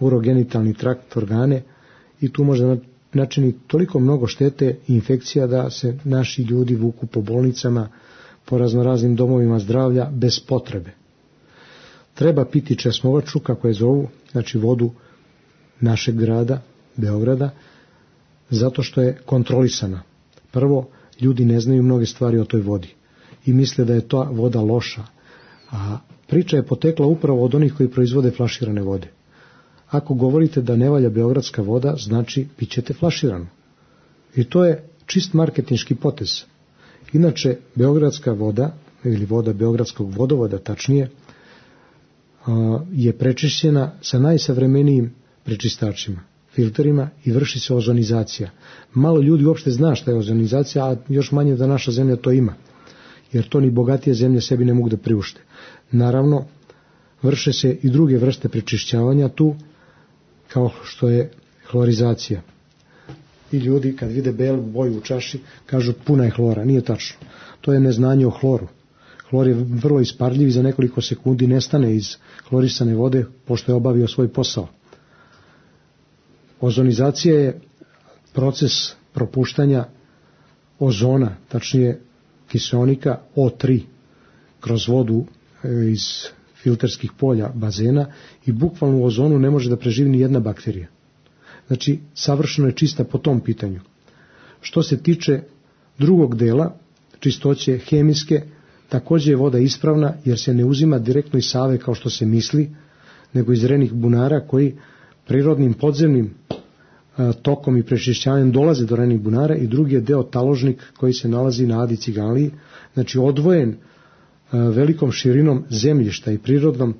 urogenitalni trakt, organe i tu može načiniti toliko mnogo štete i infekcija da se naši ljudi vuku po bolnicama, po raznoraznim domovima zdravlja bez potrebe. Treba piti česmovaču, kako je zovu, znači vodu našeg grada, Beograda, zato što je kontrolisana. Prvo, ljudi ne znaju mnoge stvari o toj vodi i misle da je ta voda loša, a priča je potekla upravo od onih koji proizvode flaširane vode. Ako govorite da ne valja beogradska voda, znači pit ćete flaširanu. I to je čist marketinški potez. Inače, beogradska voda, ili voda beogradskog vodovoda, tačnije, je prečišćena sa najsavremenijim prečistačima, filterima i vrši se ozonizacija. Malo ljudi uopšte zna šta je ozonizacija, a još manje da naša zemlja to ima, jer to ni bogatije zemlje sebi ne mogu da priušte. Naravno, vrše se i druge vrste prečišćavanja tu, kao što je hlorizacija. I ljudi kad vide belu boju u čaši kažu puna je hlora. Nije tačno. To je neznanje o hloru. Hlor je vrlo isparljiv i za nekoliko sekundi nestane iz hlorisane vode pošto je obavio svoj posao. Ozonizacija je proces propuštanja ozona, tačnije kiseonika O tri kroz vodu iz filterskih polja bazena i bukvalno u ozonu ne može da preživi ni jedna bakterija. Znači, savršeno je čista po tom pitanju. Što se tiče drugog dela, čistoće hemijske, također je voda ispravna jer se ne uzima direktno iz Save kao što se misli, nego iz renih bunara koji prirodnim podzemnim a, tokom i prečišćavanjem dolaze do renih bunara i drugi je deo taložnik koji se nalazi na Adi Ciganliji, znači odvojen a, velikom širinom zemljišta i prirodnom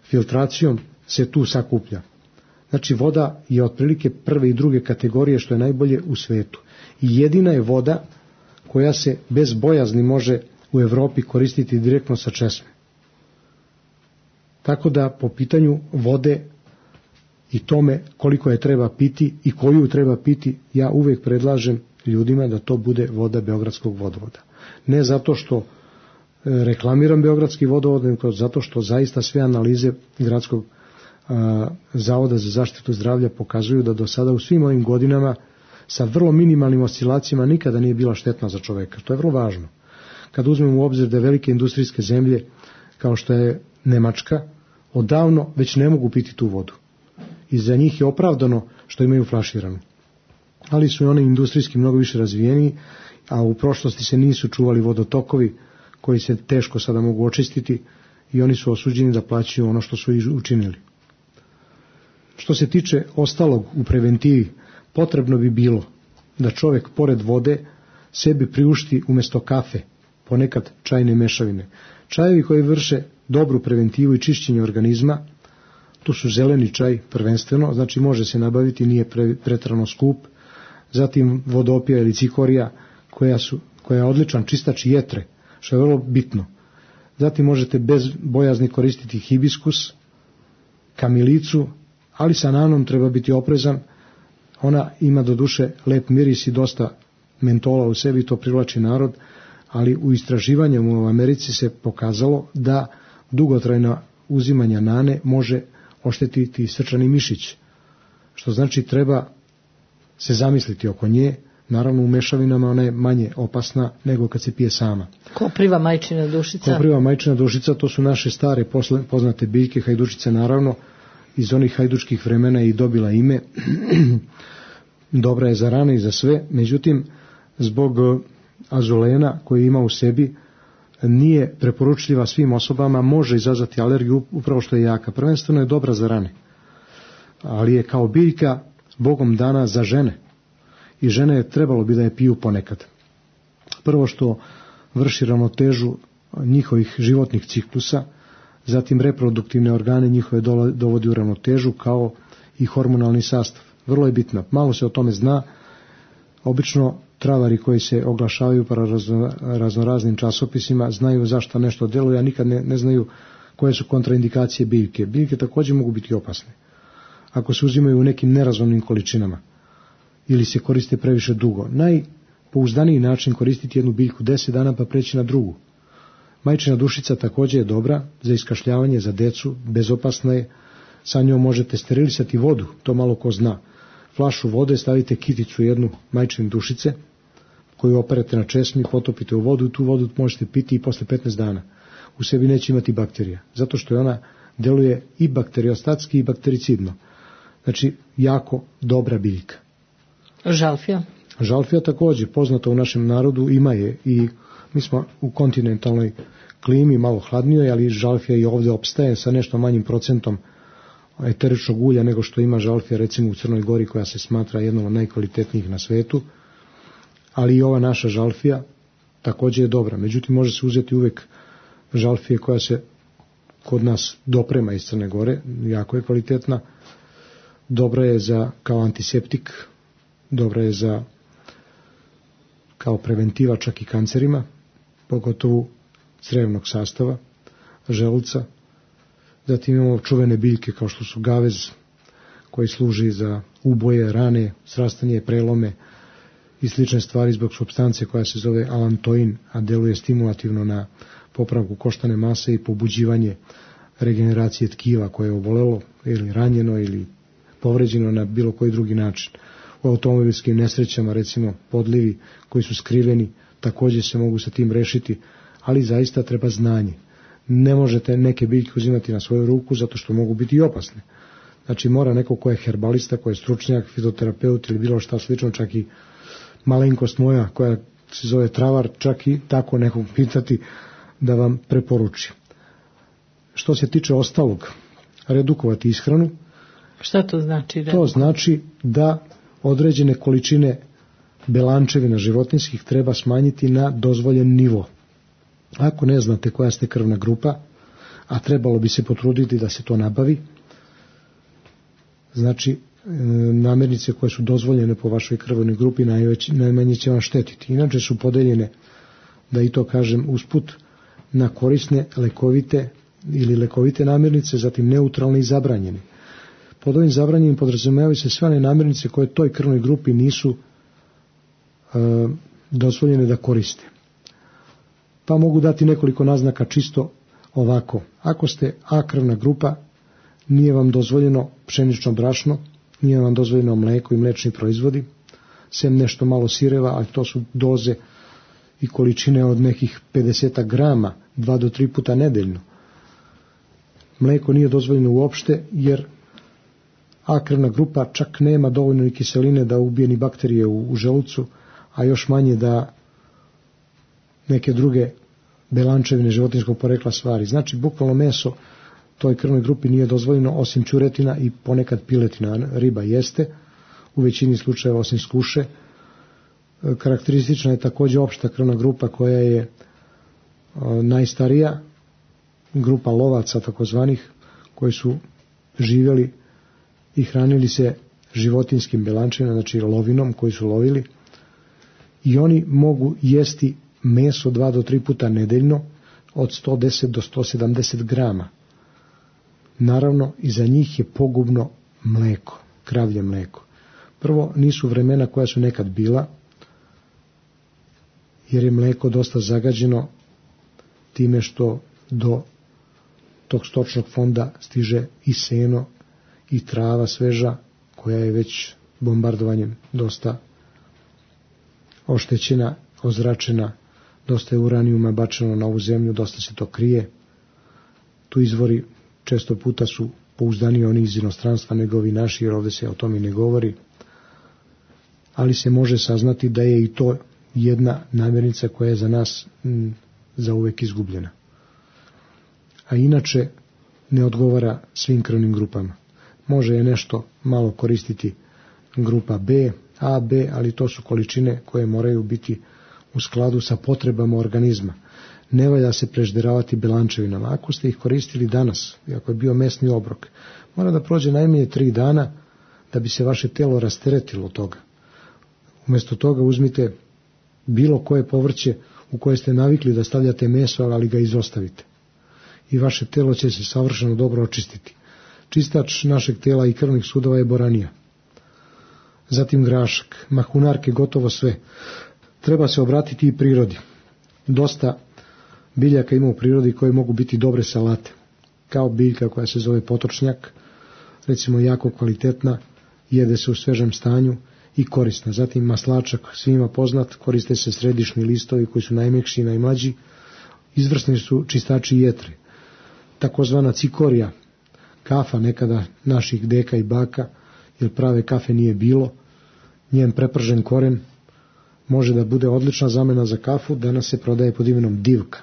filtracijom se tu sakuplja. Znači voda je otprilike prve i druge kategorije što je najbolje u svetu. I jedina je voda koja se bez bojazni može u Evropi koristiti direktno sa česme. Tako da po pitanju vode i tome koliko je treba piti i koju treba piti, ja uvijek predlažem ljudima da to bude voda beogradskog vodovoda. Ne zato što reklamiram beogradski vodovod, nego zato što zaista sve analize gradskog Zavoda za zaštitu zdravlja pokazuju da do sada u svim ovim godinama sa vrlo minimalnim oscilacijama nikada nije bila štetna za čoveka. To je vrlo važno. Kad uzmemo u obzir da velike industrijske zemlje kao što je Nemačka odavno već ne mogu piti tu vodu. I za njih je opravdano što imaju flaširanu. Ali su i oni industrijski mnogo više razvijeni, a u prošlosti se nisu čuvali vodotokovi koji se teško sada mogu očistiti i oni su osuđeni da plaćaju ono što su učinili. Što se tiče ostalog u preventivi, potrebno bi bilo da čovjek pored vode sebi priušti umjesto kafe ponekad čajne mešavine. Čajevi koji vrše dobru preventivu i čišćenje organizma, tu su zeleni čaj prvenstveno, znači može se nabaviti, nije pre, pretrano skup, zatim vodopija ili cikorija koja, su, koja je odličan čistač jetre, što je vrlo bitno. Zatim možete bez bojazni koristiti hibiskus, kamilicu, ali sa nanom treba biti oprezan, ona ima do duše lep miris i dosta mentola u sebi, to privlači narod, ali u istraživanju u Americi se pokazalo da dugotrajna uzimanja nane može oštetiti srčani mišić, što znači treba se zamisliti oko nje. Naravno u mešavinama ona je manje opasna nego kad se pije sama. Kopriva majčina dušica. Kopriva majčina dušica, to su naše stare poznate biljke, hajdučice naravno, iz onih hajdučkih vremena i dobila ime. Dobra je za rane i za sve, međutim zbog azulena koji ima u sebi nije preporučljiva svim osobama, može izazvati alergiju upravo što je jaka. Prvenstveno je dobra za rane, ali je kao biljka Bogom dana za žene i žene je trebalo bi da je piju ponekad. Prvo što vrši ravnotežu njihovih životnih ciklusa, zatim reproduktivne organe njihove dovodi u ravnotežu kao i hormonalni sastav. Vrlo je bitno. Malo se o tome zna. Obično travari koji se oglašavaju po razno, raznoraznim časopisima znaju zašto nešto djeluje, a nikad ne, ne znaju koje su kontraindikacije biljke. Biljke također mogu biti opasne ako se uzimaju u nekim nerazumnim količinama ili se koriste previše dugo. Najpouzdaniji način koristiti jednu biljku deset dana pa preći na drugu. Majčina dušica također je dobra za iskašljavanje za decu, bezopasna je, Sa njom možete sterilisati vodu, to malo ko zna. Flašu vode, stavite kiticu jednu majčine dušice, koju operete na česmi, potopite u vodu i tu vodu možete piti i posle petnaest dana. U sebi neće imati bakterija, zato što je ona deluje i bakteriostatski i baktericidno. Znači, jako dobra biljka. Žalfija? Žalfija također, poznata u našem narodu, ima je i mi smo u kontinentalnoj klimi, malo hladnijoj, ali žalfija i ovdje opstaje sa nešto manjim procentom eteričnog ulja nego što ima žalfija recimo u Crnoj Gori, koja se smatra jednom od najkvalitetnijih na svetu, ali i ova naša žalfija također je dobra. Međutim, može se uzeti uvijek žalfije koja se kod nas doprema iz Crne Gore, jako je kvalitetna, dobra je za, kao antiseptik, dobra je za kao preventiva čak i kancerima, pogotovo crevnog sastava, želuca. Zatim imamo čuvene biljke kao što su gavez, koji služi za uboje, rane, srastanje, prelome i slične stvari zbog supstance koja se zove alantoin, a deluje stimulativno na popravku koštane mase i pobuđivanje regeneracije tkiva koje je obolelo ili ranjeno ili povređeno na bilo koji drugi način. U automobilskim nesrećama, recimo podlivi koji su skriveni, također se mogu sa tim rešiti, ali zaista treba znanje. Ne možete neke biljke uzimati na svoju ruku zato što mogu biti i opasne. Znači mora neko ko je herbalista, ko je stručnjak, fitoterapeut ili bilo šta slično, čak i malenkost moja koja se zove travar, čak i tako nekog pitati da vam preporuči. Što se tiče ostalog, redukovati ishranu. Šta to znači? Redukovati? To znači da određene količine belančevina životinjskih treba smanjiti na dozvoljen nivo. Ako ne znate koja ste krvna grupa, a trebalo bi se potruditi da se to nabavi, znači namirnice koje su dozvoljene po vašoj krvnoj grupi najveći, najmanje će vam štetiti. Inače su podeljene, da i to kažem usput, na korisne, lekovite ili lekovite namirnice, zatim neutralne i zabranjene. Pod ovim zabranjenim podrazumijevaju se sve one namirnice koje toj krvnoj grupi nisu e, dozvoljene da koriste. Pa mogu dati nekoliko naznaka čisto ovako. Ako ste A krvna grupa, nije vam dozvoljeno pšenično brašno, nije vam dozvoljeno mleko i mlečni proizvodi, sem nešto malo sireva, ali to su doze i količine od nekih pedeset grama, dva do tri puta nedeljno. Mleko nije dozvoljeno uopšte, jer A krvna grupa čak nema dovoljno ni kiseline da ubije ni bakterije u, u želucu, a još manje da neke druge belančevine životinjskog porekla stvari. Znači, bukvalno meso toj krvnoj grupi nije dozvoljeno osim ćuretina i ponekad piletina. Riba jeste, u većini slučajeva osim skuše. Karakteristična je također opšta krvna grupa koja je o, najstarija, grupa lovaca takozvanih, koji su živjeli i hranili se životinskim belančevima, znači lovinom koji su lovili, i oni mogu jesti meso dva do tri puta nedeljno od sto deset do sto sedamdeset grama. Naravno, i za njih je pogubno mleko, kravlje mleko. Prvo, nisu vremena koja su nekad bila, jer je mleko dosta zagađeno time što do tog stočnog fonda stiže i seno i trava sveža, koja je već bombardovanjem dosta oštećena, ozračena, dosta je uranijuma bačeno na ovu zemlju, dosta se to krije. Tu izvori često puta su pouzdaniji oni iz inostranstva nego ovi naši, jer ovdje se o tome ne govori. Ali se može saznati da je i to jedna namirnica koja je za nas m, za uvek izgubljena. A inače ne odgovara svim krvnim grupama. Može je nešto malo koristiti grupa B, A, B, ali to su količine koje moraju biti u skladu sa potrebama organizma. Ne valja se prežderavati belančevinama. Ako ste ih koristili danas, ako je bio mesni obrok, mora da prođe najmanje tri dana da bi se vaše telo rasteretilo od toga. Umjesto toga uzmite bilo koje povrće u koje ste navikli da stavljate meso, ali ga izostavite. I vaše telo će se savršeno dobro očistiti. Čistač našeg tela i krvnih sudova je boranija. Zatim grašak, mahunarke, gotovo sve. Treba se obratiti i prirodi. Dosta biljaka ima u prirodi koje mogu biti dobre salate. Kao biljka koja se zove potočnjak, recimo jako kvalitetna, jede se u svežem stanju i korisna. Zatim maslačak, svima poznat, koriste se središnji listovi koji su najmekši i najmlađi, izvrsni su čistači jetre. Takozvana cikorija, kafa nekada naših deka i baka, jer prave kafe nije bilo, njen prepržen koren može da bude odlična zamena za kafu, danas se prodaje pod imenom divka.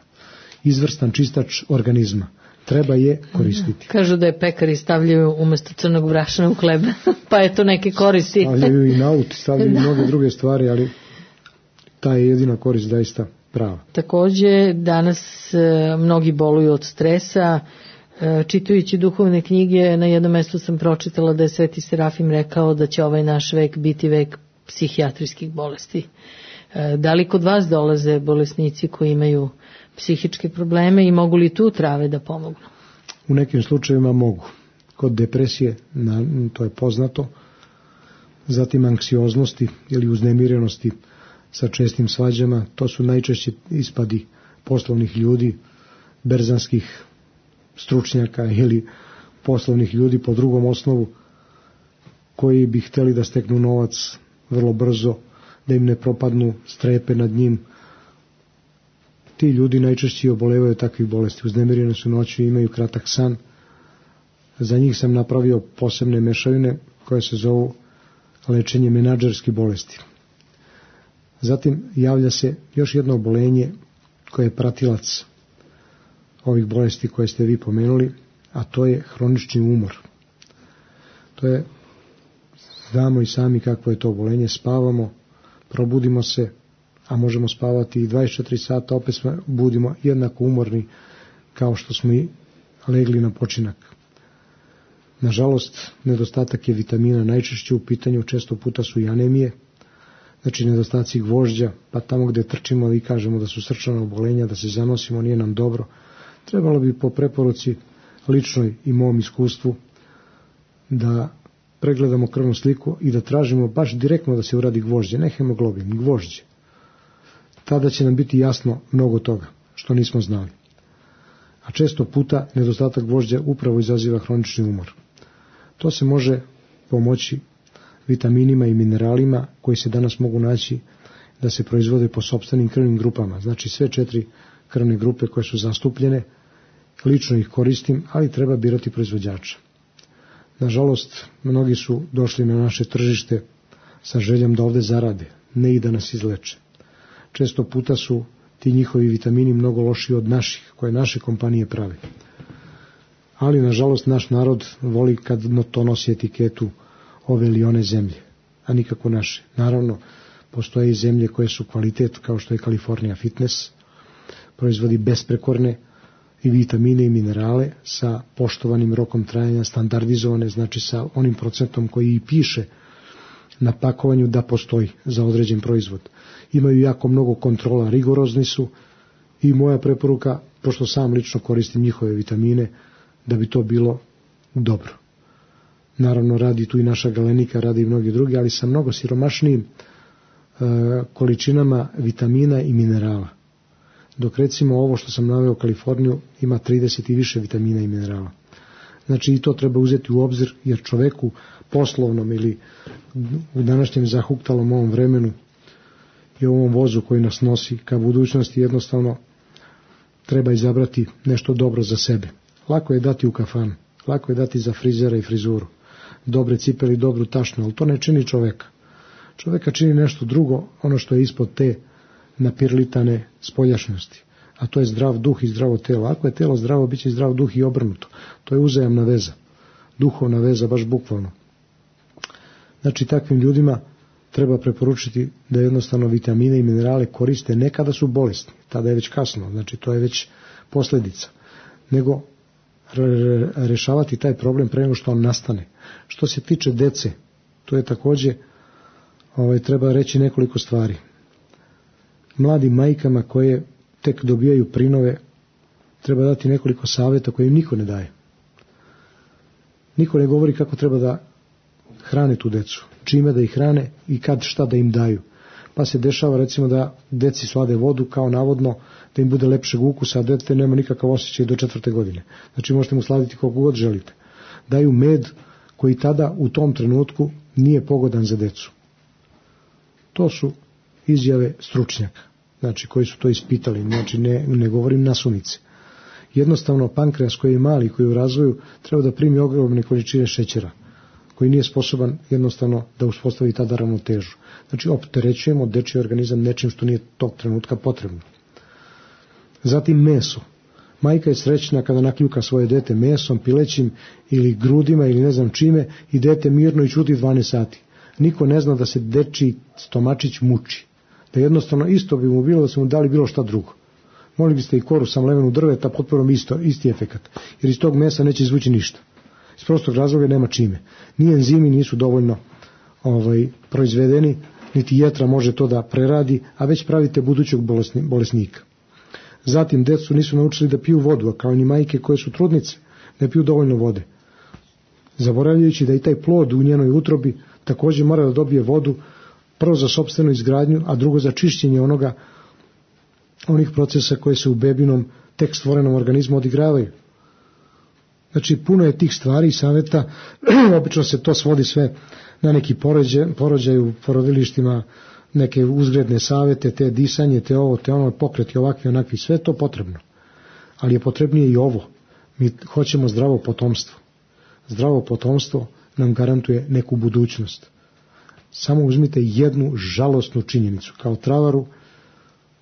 Izvrstan čistač organizma. Treba je koristiti. Kažu da je pekari stavljaju umjesto crnog brašna u hleb, pa je to neke koristi. Stavljaju i naut, stavljaju i mnoge druge stvari, ali ta je jedina korist zaista prava. Takođe, danas e, mnogi boluju od stresa. E, čitajući duhovne knjige, na jednom mestu sam pročitala da je Sveti Serafim rekao da će ovaj naš vek biti vek psihijatrijskih bolesti. E, da li kod vas dolaze bolesnici koji imaju psihičke probleme i mogu li tu trave da pomognu? U nekim slučajevima mogu. Kod depresije, na, to je poznato, zatim anksioznosti ili uznemirenosti sa čestim svađama, to su najčešće ispadi poslovnih ljudi, berzanskih stručnjaka ili poslovnih ljudi po drugom osnovu koji bi hteli da steknu novac vrlo brzo, da im ne propadnu strepe nad njim. Ti ljudi najčešće obolevaju takvih bolesti, uznemireni su noću i imaju kratak san. Za njih sam napravio posebne mešavine koje se zovu lečenje menadžerskih bolesti. Zatim javlja se još jedno obolenje koje je pratilac ovih bolesti koje ste vi pomenuli, a to je hronični umor. To je, znamo i sami kakvo je to obolenje, spavamo, probudimo se, a možemo spavati i dvadeset četiri sata, opet smo budimo jednako umorni kao što smo i legli na počinak. Nažalost, nedostatak je vitamina najčešće u pitanju, često puta su i anemije, znači nedostaci gvožđa, pa tamo gde trčimo i kažemo da su srčana obolenja, da se zanosimo, nije nam dobro. Trebalo bi po preporuci ličnoj i mom iskustvu da pregledamo krvnu sliku i da tražimo baš direktno da se uradi gvožđe, ne hemoglobin, gvožđe. Tada će nam biti jasno mnogo toga što nismo znali. A često puta nedostatak gvožđa upravo izaziva hronični umor. To se može pomoći vitaminima i mineralima koji se danas mogu naći da se proizvode po sopstvenim krvnim grupama. Znači sve četiri krvne grupe koje su zastupljene, lično ih koristim, ali treba birati proizvođača. Nažalost, mnogi su došli na naše tržište sa željom da ovde zarade, ne i da nas izleče. Često puta su ti njihovi vitamini mnogo lošiji od naših, koje naše kompanije prave. Ali, nažalost, naš narod voli kad to nosi etiketu ove ili one zemlje, a nikako naše. Naravno, postoje i zemlje koje su kvalitet, kao što je California Fitness, proizvodi besprekorne i vitamine i minerale sa poštovanim rokom trajanja, standardizovane, znači sa onim procentom koji i piše na pakovanju da postoji za određen proizvod. Imaju jako mnogo kontrola, rigorozni su i moja preporuka, pošto sam lično koristim njihove vitamine, da bi to bilo dobro. Naravno, radi tu i naša Galenika, radi i mnogi drugi, ali sa mnogo siromašnijim e, količinama vitamina i minerala. Dok recimo ovo što sam naveo Kaliforniju ima trideset i više vitamina i minerala. Znači i to treba uzeti u obzir, jer čoveku poslovnom ili u današnjem zahuktalom ovom vremenu i ovom vozu koji nas nosi ka budućnosti jednostavno treba izabrati nešto dobro za sebe. Lako je dati u kafanu, lako je dati za frizera i frizuru, dobre cipele i dobru tašnu, ali to ne čini čoveka. Čoveka čini nešto drugo, ono što je ispod te napirlitane spoljašnjosti, a to je zdrav duh i zdravo telo. Ako je telo zdravo, bit će zdrav duh i obrnuto. To je uzajamna veza, duhovna veza, baš bukvalno. Znači, takvim ljudima treba preporučiti da jednostavno vitamine i minerale koriste ne kada su bolesni, tada je već kasno, znači to je već posljedica, nego rešavati taj problem pre nego što on nastane. Što se tiče dece, to je takođe, ovaj, treba reći nekoliko stvari. Mladim majkama koje tek dobijaju prinove, treba dati nekoliko savjeta koje im niko ne daje. Niko ne govori kako treba da hrane tu decu, čime da ih hrane i kad šta da im daju. Pa se dešava recimo da deci slade vodu kao navodno da im bude lepšeg ukusa, a dete nema nikakav osjećaj do četvrte godine. Znači možete mu sladiti koliko god želite. Daju med koji tada u tom trenutku nije pogodan za decu. To su izjave stručnjaka, znači koji su to ispitali, znači ne, ne govorim nasumice. Jednostavno pankreas koji je mali, koji je u razvoju, treba da primi ogromne količine šećera, koji nije sposoban jednostavno da uspostavi tada ravnotežu. Znači opterećujemo dečiji organizam nečim što nije tog trenutka potrebno. Zatim meso. Majka je srećna kada nakljuka svoje dete mesom, pilećim ili grudima ili ne znam čime i dete mirno i ćuti dvanaest sati. Niko ne zna da se dečiji stomačić muči. Da jednostavno isto bi mu bilo da su mu dali bilo šta drugo. Mogli biste i koru sa mlevenu drveta, potpuno isto, isti efekat. Jer iz tog mesa neće izvući ništa. Iz prostog razloga nema čime. Ni enzimi nisu dovoljno ovaj, proizvedeni, niti jetra može to da preradi, a već pravite budućeg bolesni, bolesnika. Zatim, decu nisu naučili da piju vodu, a kao ni majke koje su trudnice, ne piju dovoljno vode. Zaboravljajući da i taj plod u njenoj utrobi također mora da dobije vodu, prvo za sopstvenu izgradnju, a drugo za čišćenje onoga, onih procesa koje se u bebinom tek stvorenom organizmu odigravaju. Znači, puno je tih stvari i savjeta, obično se to svodi sve na neki porođaj, porođaj u porodilištima, neke uzgredne savjete, te disanje, te ovo, te ono, pokreti ovakvi, onakvi, sve to potrebno. Ali je potrebnije i ovo. Mi hoćemo zdravo potomstvo. Zdravo potomstvo nam garantuje neku budućnost. Samo uzmite jednu žalosnu činjenicu. Kao travaru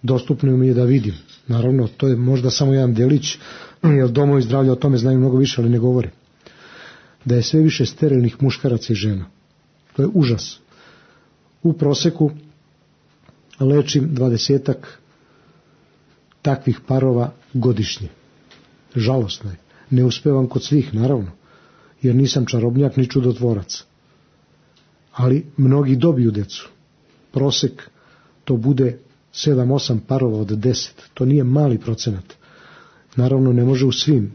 dostupno mi je da vidim. Naravno, to je možda samo jedan delić, jer domovi zdravlja o tome znaju mnogo više, ali ne govore. Da je sve više sterilnih muškaraca i žena. To je užas. U proseku lečim dvadesetak takvih parova godišnje. Žalosno je. Ne uspevam kod svih, naravno, jer nisam čarobnjak ni čudotvorac. Ali mnogi dobiju decu. Prosek to bude sedam osam parova od deset. To nije mali procenat. Naravno, ne može u svim.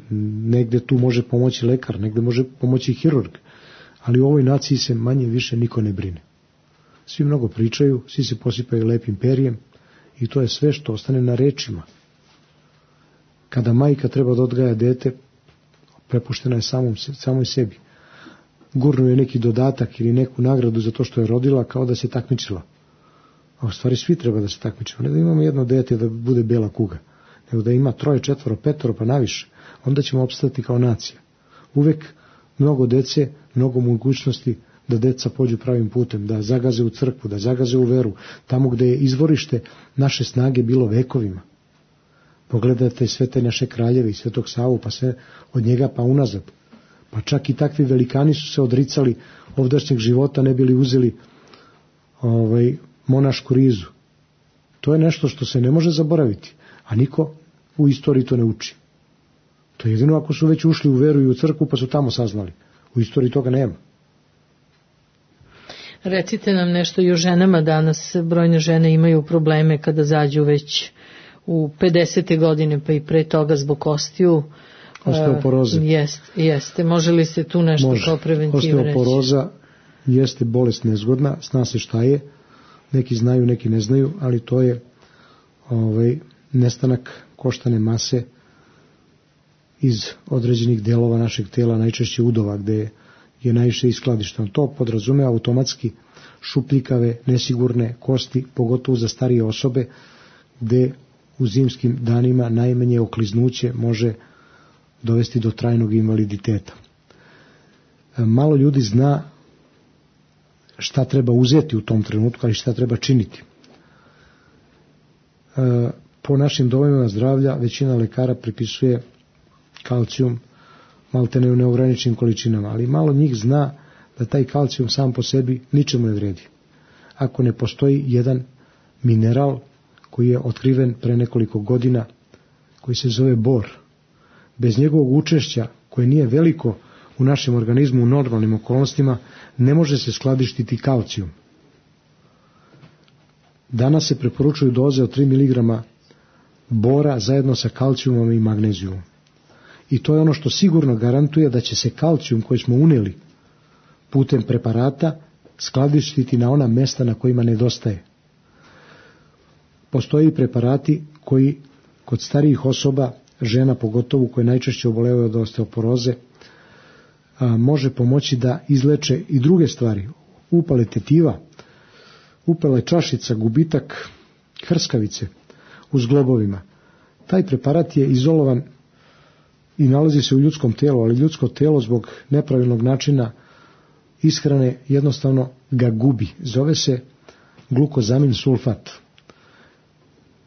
Negde tu može pomoći lekar, negde može pomoći hirurg. Ali u ovoj naciji se manje više niko ne brine. Svi mnogo pričaju, svi se posipaju lepim perjem i to je sve što ostane na rečima. Kada majka treba da odgaja dete, prepuštena je samom, samoj sebi. Gurnu je neki dodatak ili neku nagradu za to što je rodila kao da se takmičila. A u stvari svi treba da se takmičimo. Ne da imamo jedno dete da bude bela kuga, nego da ima troje, četvoro, petoro pa naviše. Onda ćemo opstati kao nacija. Uvek mnogo dece, mnogo mogućnosti da deca pođu pravim putem, da zagaze u crkvu, da zagaze u veru, tamo gde je izvorište naše snage bilo vekovima. Pogledajte sve te naše kraljeve i Svetog Savu, pa sve od njega pa unazad. Pa čak i takvi velikani su se odricali ovdašnjeg života, ne bili uzeli ovaj, monašku rizu. To je nešto što se ne može zaboraviti, a niko u istoriji to ne uči. To je jedino ako su već ušli u veru i u crkvu, pa su tamo saznali. U istoriji toga nema. Recite nam nešto i o ženama danas. Brojne žene imaju probleme kada zađu već u pedesete godine, pa i pre toga zbog kostiju. Osteoporoze. Uh, jest, jeste. Može li se tu nešto Može. Kao preventivu reći? Osteoporoza jeste bolest nezgodna, zna se šta je. Neki znaju, neki ne znaju, ali to je ovaj, nestanak koštane mase iz određenih delova našeg tela, najčešće udova, gde je najviše iskladišteno. To podrazume automatski šupljikave, nesigurne kosti, pogotovo za starije osobe, gde u zimskim danima najmanje okliznuće može dovesti do trajnog invaliditeta. Malo ljudi zna šta treba uzeti u tom trenutku, ali šta treba činiti. Po našim domovima zdravlja većina lekara pripisuje kalcijum maltene u neograničenim količinama, ali malo njih zna da taj kalcijum sam po sebi ničemu ne vredi. Ako ne postoji jedan mineral koji je otkriven pre nekoliko godina, koji se zove bor, bez njegovog učešća, koje nije veliko u našem organizmu u normalnim okolnostima, ne može se skladištiti kalcijum. Danas se preporučuju doze od tri miligrama bora zajedno sa kalcijumom i magnezijumom. I to je ono što sigurno garantuje da će se kalcijum koji smo uneli putem preparata skladištiti na ona mesta na kojima nedostaje. Postoje i preparati koji kod starijih osoba, žena pogotovo koje najčešće obolevaju od osteoporoze, a, može pomoći da izleče i druge stvari. Upale tetiva, upale čašica, gubitak hrskavice u zglobovima. Taj preparat je izolovan i nalazi se u ljudskom telu, ali ljudsko telo zbog nepravilnog načina ishrane jednostavno ga gubi. Zove se glukozamin sulfat.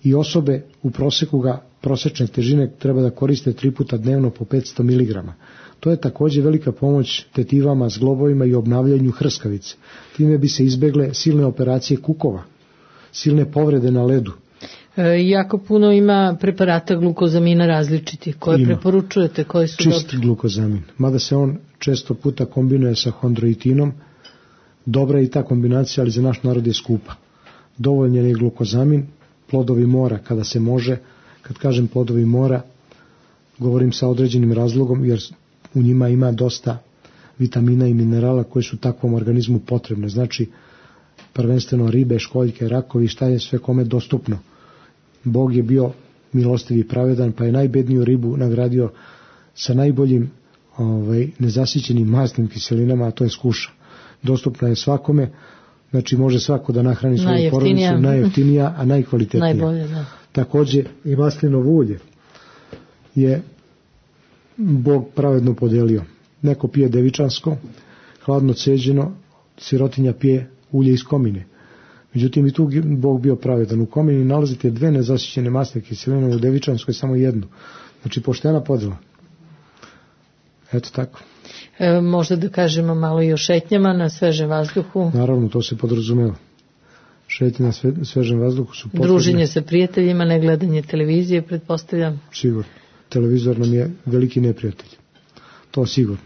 I osobe u proseku ga prosečne težine treba da koriste tri puta dnevno po petsto miligrama. To je također velika pomoć tetivama, zglobovima i obnavljanju hrskavice. Time bi se izbegle silne operacije kukova, silne povrede na ledu. E, jako puno ima preparata glukozamina različitih. Koje ima. Preporučujete? Koje su Čist dobri? glukozamin. Mada se on često puta kombinuje sa hondroitinom. Dobra je i ta kombinacija, ali za naš narod je skupa. Dovoljan je glukozamin, plodovi mora kada se može. Kad kažem plodovi mora, govorim sa određenim razlogom, jer u njima ima dosta vitamina i minerala koji su takvom organizmu potrebne. Znači, prvenstveno ribe, školjke, rakovi, šta je sve kome dostupno. Bog je bio milostiv i pravedan, pa je najbedniju ribu nagradio sa najboljim ovaj, nezasićenim masnim kiselinama, a to je skuša. Dostupna je svakome, znači može svako da nahrani svoju porodicu, najjeftinija, a najkvalitetnija. Najbolje, da. Također i maslinovo ulje je Bog pravedno podelio. Neko pije devičansko, hladno ceđeno, sirotinja pije ulje iz komine. Međutim, i tu Bog bio pravedan. U komini nalazite dve nezasićene masne kiseline, u devičanskoj samo jednu. Znači, poštena podjela. Eto tako. E, možda da kažemo malo i o šetnjama na svežem vazduhu. Naravno, to se podrazumeva. Šetnje na sve, svežem vazduhu su potrebne. Druženje sa prijateljima, ne gledanje televizije, pretpostavljam. Sigurno. Televizor nam je veliki neprijatelj. To sigurno.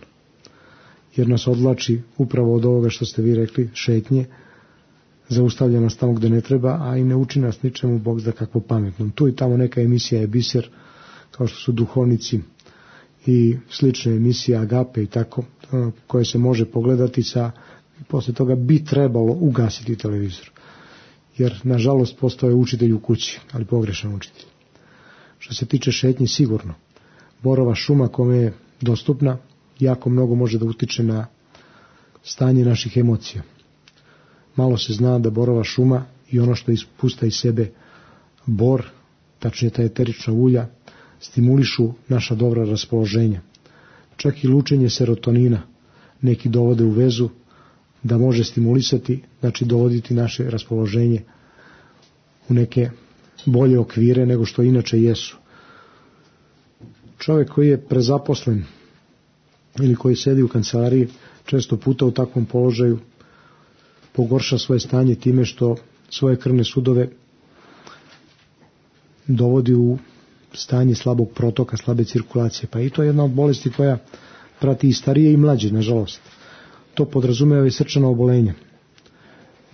Jer nas odvlači upravo od ovoga što ste vi rekli, šetnje, zaustavlja nas tamo gde ne treba, a i ne uči nas ničemu, Bog zna kakvo pametnom. Tu i tamo neka emisija je biser, kao što su duhovnici i slične emisije, agape i tako, koje se može pogledati sa, posle toga bi trebalo ugasiti televizor. Jer, nažalost, postoje učitelj u kući, ali pogrešan učitelj. Što se tiče šetnje, sigurno. Borova šuma kome je dostupna, jako mnogo može da utiče na stanje naših emocija. Malo se zna da borova šuma i ono što ispusta iz sebe bor, tačnije ta eterična ulja, stimulišu naša dobra raspoloženja. Čak i lučenje serotonina neki dovode u vezu da može stimulisati, znači dovoditi naše raspoloženje u neke bolje okvire nego što inače jesu. Čovjek koji je prezaposlen ili koji sedi u kancelariji često puta u takvom položaju pogorša svoje stanje time što svoje krvne sudove dovodi u stanje slabog protoka, slabe cirkulacije. Pa i to je jedna od bolesti koja prati i starije i mlađe, nažalost. To podrazumeva i srčana obolenja.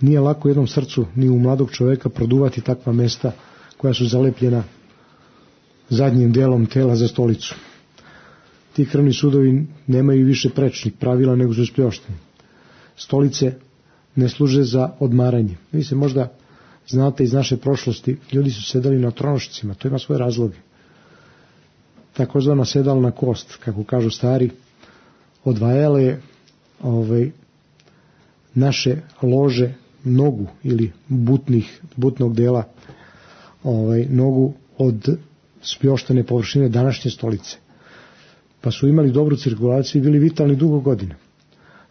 Nije lako jednom srcu ni u mladog čovjeka produvati takva mesta koja su zalepljena zadnjim delom tela za stolicu. Ti krvni sudovi nemaju više prečnih pravila nego su spljošteni. Stolice ne služe za odmaranje. Vi se možda znate iz naše prošlosti, ljudi su sedali na tronošcima, to ima svoje razloge. Takozvana sedalna kost, kako kažu stari, odvajala je ovaj, naše lože, nogu ili butnih, butnog dela, ovaj, nogu od spljoštene površine današnje stolice. Pa su imali dobru cirkulaciju i bili vitalni dugo godina.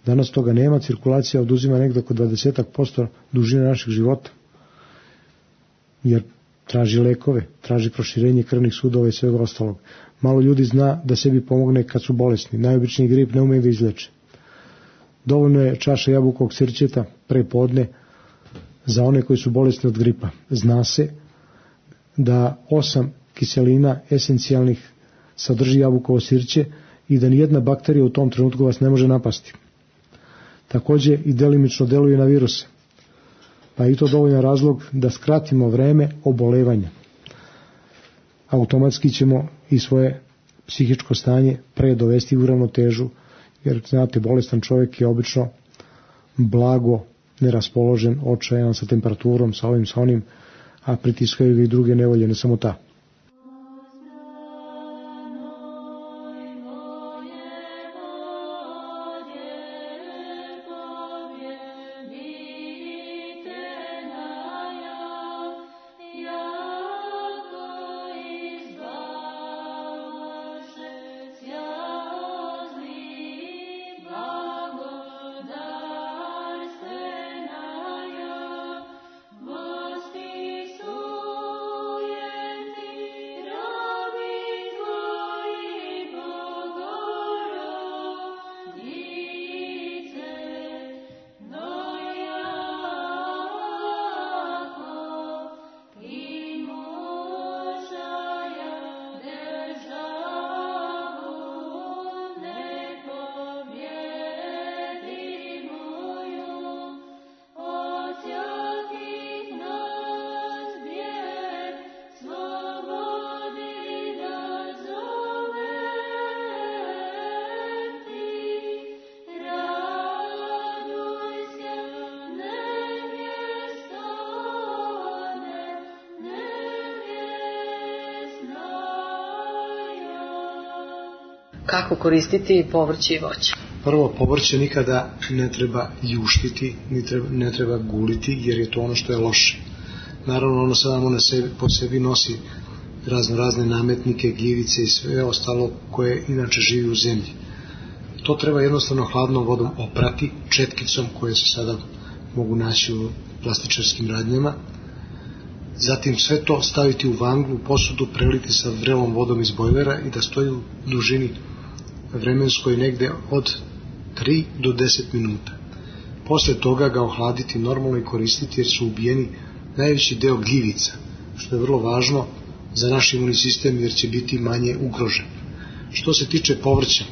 Danas toga nema, cirkulacija oduzima negdje oko dvadeset posto dužine našeg života. Jer traži lekove, traži proširenje krvnih sudova i svega ostalog. Malo ljudi zna da sebi pomogne kad su bolesni. Najobičniji grip ne umeju da izleče. Dovoljno je čaša jabukovog sirćeta pre podne za one koji su bolesni od gripa. Zna se da osam kiselina esencijalnih sadrži jabukovo sirće i da nijedna bakterija u tom trenutku vas ne može napasti. Također i delimično deluje na viruse. Pa i to dovoljan razlog da skratimo vreme obolevanja. Automatski ćemo i svoje psihičko stanje pre dovesti u ravnotežu, jer znate, bolestan čovjek je obično blago neraspoložen, očajan, sa temperaturom, sa ovim, sa onim, a pritiskaju ga i druge nevolje, ne samo ta. kako koristiti povrće i voće? Prvo, povrće nikada ne treba ljuštiti, ne treba, ne treba guliti, jer je to ono što je loše. Naravno, ono samo na sebi, po sebi nosi razno razne nametnike, gljivice i sve ostalo koje inače živi u zemlji. To treba jednostavno hladnom vodom oprati, četkicom koje se sada mogu naći u plastičarskim radnjama. Zatim sve to staviti u vanglu, posudu, preliti sa vrelom vodom iz bojlera i da stoji u dužini vremenskoj negde od tri do deset minuta. Posle toga ga ohladiti normalno i koristiti, jer su ubijeni najveći deo gljivica, što je vrlo važno za naš imunni sistem, jer će biti manje ugrožen. Što se tiče povrća,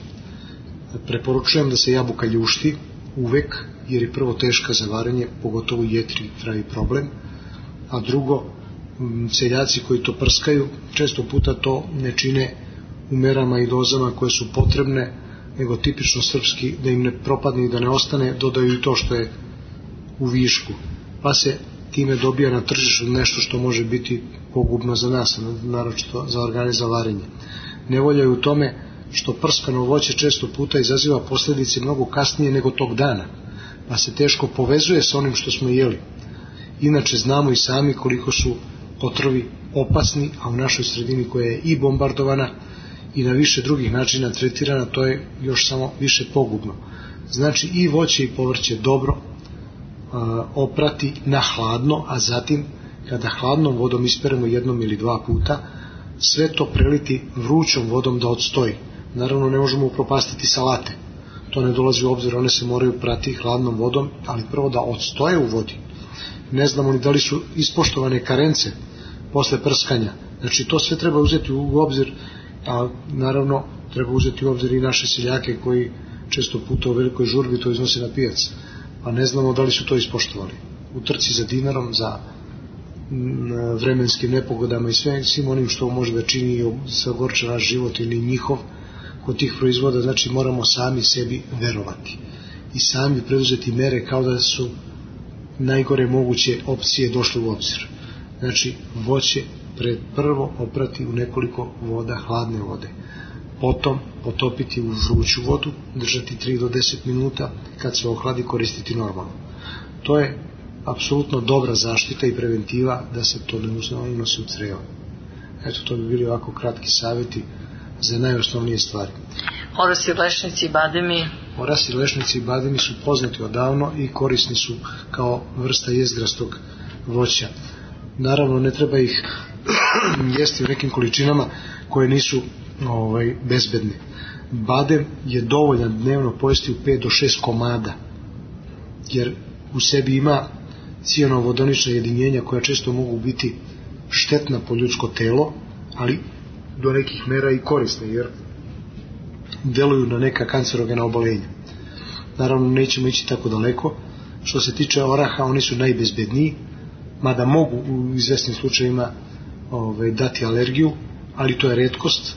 preporučujem da se jabuka ljušti uvek, jer je prvo teška za varenje, pogotovo jetri pravi problem, a drugo, seljaci koji to prskaju često puta to ne čine u merama i dozama koje su potrebne, nego tipično srpski, da im ne propadne i da ne ostane, dodaju i to što je u višku, pa se time dobija na tržištu nešto što može biti pogubno za nas, naročito za organe za varenje. Nevolja je u tome što prskano voće često puta izaziva posljedice mnogo kasnije nego tog dana, pa se teško povezuje sa onim što smo jeli. Inače znamo i sami koliko su otrovi opasni, a u našoj sredini koja je i bombardovana i na više drugih načina tretirana, to je još samo više pogubno. Znači i voće i povrće dobro a, oprati na hladno, a zatim kada hladnom vodom isperemo jednom ili dva puta, sve to preliti vrućom vodom da odstoji. Naravno ne možemo upropastiti salate, to ne dolazi u obzir, one se moraju prati hladnom vodom, ali prvo da odstoje u vodi. Ne znamo ni da li su ispoštovane karence posle prskanja, znači to sve treba uzeti u obzir, a naravno treba uzeti u obzir i naše seljake koji često puta u velikoj žurbi to iznose na pijac, pa ne znamo da li su to ispoštovali. U trci za dinarom, za vremenskim nepogodama i sve, svim onim što može da čini i se ogorča naš život ili njihov kod tih proizvoda, znači moramo sami sebi verovati i sami preduzeti mere kao da su najgore moguće opcije došle u obzir. Znači voće pred prvo oprati u nekoliko voda, hladne vode, potom potopiti u vruću vodu, držati tri do deset minuta, kad se ohladi koristiti normalno. To je apsolutno dobra zaštita i preventiva da se to ne unosi u crevo. Eto, to bi bili ovako kratki savjeti za najosnovnije stvari. Orasi, lešnici i bademi? Orasi, lešnici i bademi su poznati odavno i korisni su kao vrsta jezgrastog voća. Naravno ne treba ih jesti u nekim količinama koje nisu ovaj, bezbedne. Badem je dovoljan dnevno pojesti u pet do šest komada, jer u sebi ima cijaноvodonična jedinjenja koja često mogu biti štetna po ljudsko telo, ali do nekih mera i korisne, jer deluju na neka kancerogena obolenja. Naravno nećemo ići tako daleko. Što se tiče oraha, oni su najbezbedniji, mada mogu u izvesnim slučajima ovaj, dati alergiju, ali to je retkost.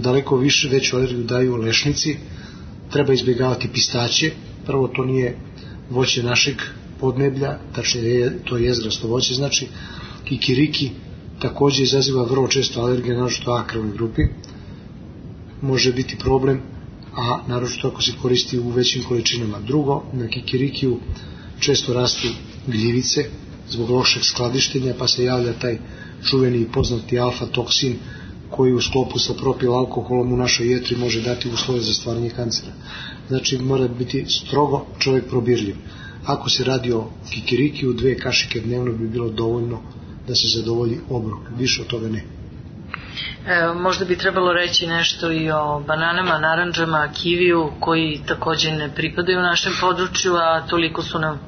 Daleko više veću alergiju daju lešnici. Treba izbjegavati pistaće. Prvo, to nije voće našeg podneblja, tačnije to je jezgrasto voće, znači kikiriki također izaziva vrlo često alergije, naročito akrovnoj grupi, može biti problem, a naročito ako se koristi u većim količinama. Drugo, na kikirikiju često rastu gljivice zbog lošeg skladištenja, pa se javlja taj čuveni i poznati alfa toksin koji u sklopu sa propil alkoholom u našoj jetri može dati uslove za stvaranje kancera. Znači mora biti strogo čovjek probirljiv. Ako se radi o kikirikiju, dve kašike dnevno bi bilo dovoljno da se zadovolji obrok, više od toga ne. E, možda bi trebalo reći nešto i o bananama, naranđama, kiviju, koji također ne pripadaju u našem području, a toliko su nam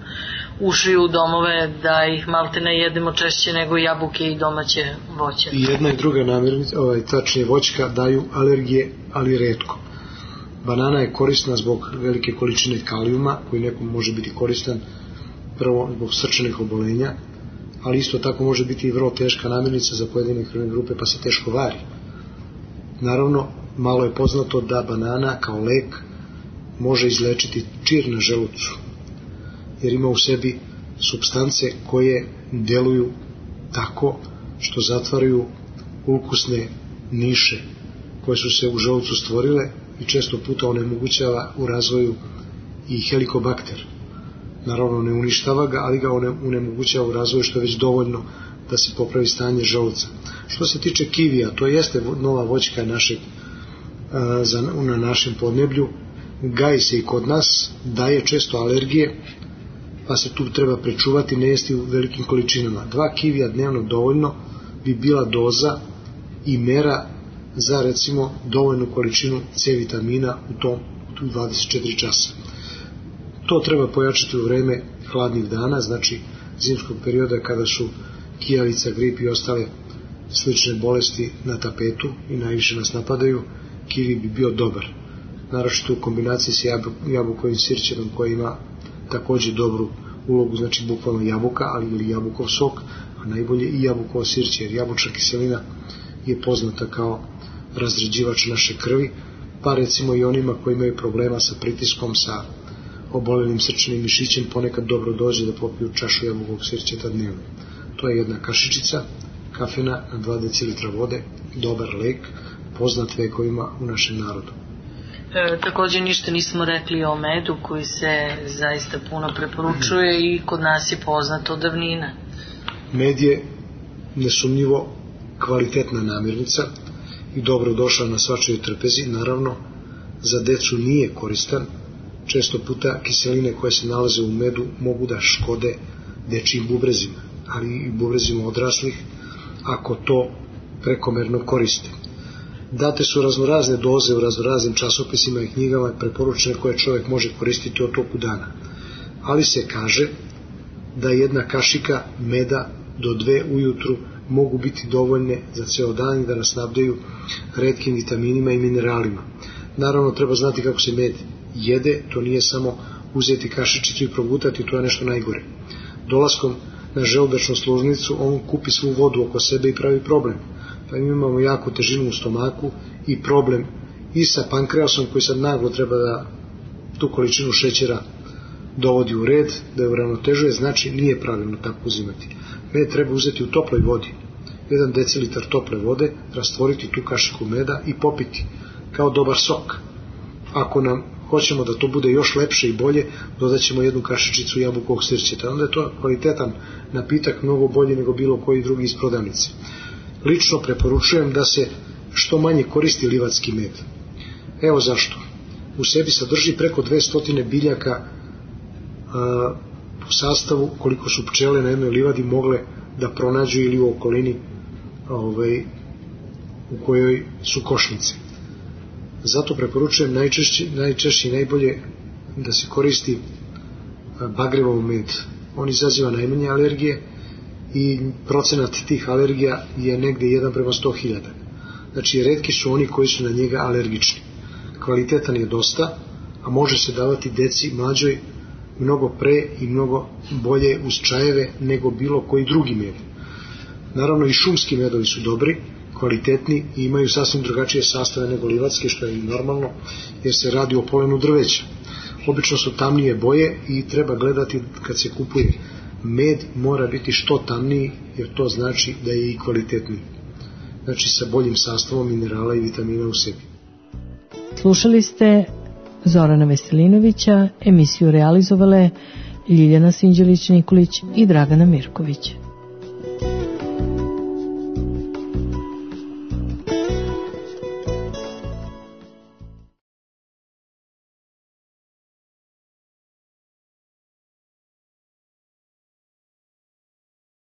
ušli u domove da ih malte ne jedemo češće nego jabuke i domaće voće. I jedna i druga namirnica, ovaj, tačnije voćka, daju alergije, ali retko. Banana je korisna zbog velike količine kalijuma, koji nekom može biti koristan prvo zbog srčanih obolenja, ali isto tako može biti i vrlo teška namirnica za pojedine krvne grupe, pa se teško vari. Naravno, malo je poznato da banana kao lek može izlečiti čir na želucu, jer ima u sebi supstance koje deluju tako što zatvaraju ukusne niše koje su se u želucu stvorile i često puta onemogućava u razvoju i helikobakter. Naravno ne uništava ga, ali ga onemogućava u razvoju, što je već dovoljno da se popravi stanje želuca. Što se tiče kivija, to jeste nova voćka našeg, na našem podneblju, gaji se i kod nas, daje često alergije, pa se tu treba prečuvati, ne jesti u velikim količinama. Dva kivija dnevno dovoljno bi bila doza i mera za recimo dovoljnu količinu C vitamina u tom u dvadeset četiri časa. To treba pojačati u vreme hladnih dana, znači zimskog perioda kada su kijavica, grip i ostale slične bolesti na tapetu i najviše nas napadaju. Kivi bi bio dobar, naročito u kombinaciji sa jabukovim sirćenom koji ima također dobru ulogu, znači bukvalno jabuka, ali ili jabukov sok, a najbolje i jabukovo sirće, jer jabučna kiselina je poznata kao razređivač naše krvi, pa recimo i onima koji imaju problema sa pritiskom, sa oboljenim srčanim mišićem, ponekad dobro dođe da popiju čašu jabukovog sirćeta dnevno. To je jedna kašičica kafena na dva decilitra vode, dobar lek, poznat vekovima u našem narodu. E, također ništa nismo rekli o medu koji se zaista puno preporučuje i kod nas je poznat od davnina. Med je nesumnjivo kvalitetna namirnica i dobro došla na svačijoj trpezi. Naravno, za decu nije koristan. Često puta kiseline koje se nalaze u medu mogu da škode dečijim bubrezima, ali i bubrezima odraslih ako to prekomerno koriste. Date su raznorazne doze u raznoraznim časopisima i knjigama preporučene koje čovjek može koristiti od toku dana. Ali se kaže da jedna kašika meda do dve ujutru mogu biti dovoljne za ceo dan i da nas nabdaju retkim vitaminima i mineralima. Naravno treba znati kako se med jede, to nije samo uzeti kašičicu i progutati, to je nešto najgore. Dolaskom na želudačnu sluznicu on kupi svu vodu oko sebe i pravi problem. Pa imamo jaku težinu u stomaku i problem i sa pankreasom koji sad naglo treba da tu količinu šećera dovodi u red, da je uravnotežuje, znači nije pravilno tako uzimati. Med treba uzeti u toploj vodi, jedan decilitar tople vode, rastvoriti tu kašiku meda i popiti kao dobar sok. Ako nam hoćemo da to bude još lepše i bolje, dodat ćemo jednu kašičicu jabukovog sirćeta. Onda je to kvalitetan napitak, mnogo bolji nego bilo koji drugi iz prodavnice. Lično preporučujem da se što manje koristi livatski med. Evo zašto. U sebi sadrži preko dvesta biljaka a, po sastavu koliko su pčele na jednoj livadi mogle da pronađu ili u okolini ovaj, u kojoj su košnice. Zato preporučujem najčešće, najčešće i najbolje da se koristi bagrevov med. On izaziva najmanje alergije i procenat tih alergija je negde jedan prema sto hiljada. Znači, retki su oni koji su na njega alergični. Kvalitetan je dosta, a može se davati deci mlađoj mnogo pre i mnogo bolje uz čajeve nego bilo koji drugi med. Naravno i šumski medovi su dobri, kvalitetni i imaju sasvim drugačije sastave nego livatske, što je i normalno jer se radi o polenu drveća. Obično su tamnije boje i treba gledati kad se kupuje. Med mora biti što tamniji jer to znači da je i kvalitetniji. Znači sa boljim sastavom minerala i vitamina u sebi. Slušali ste Zorana Veselinovića, emisiju realizovale Ljiljana Sinđelić-Nikolić i Dragana Mirković.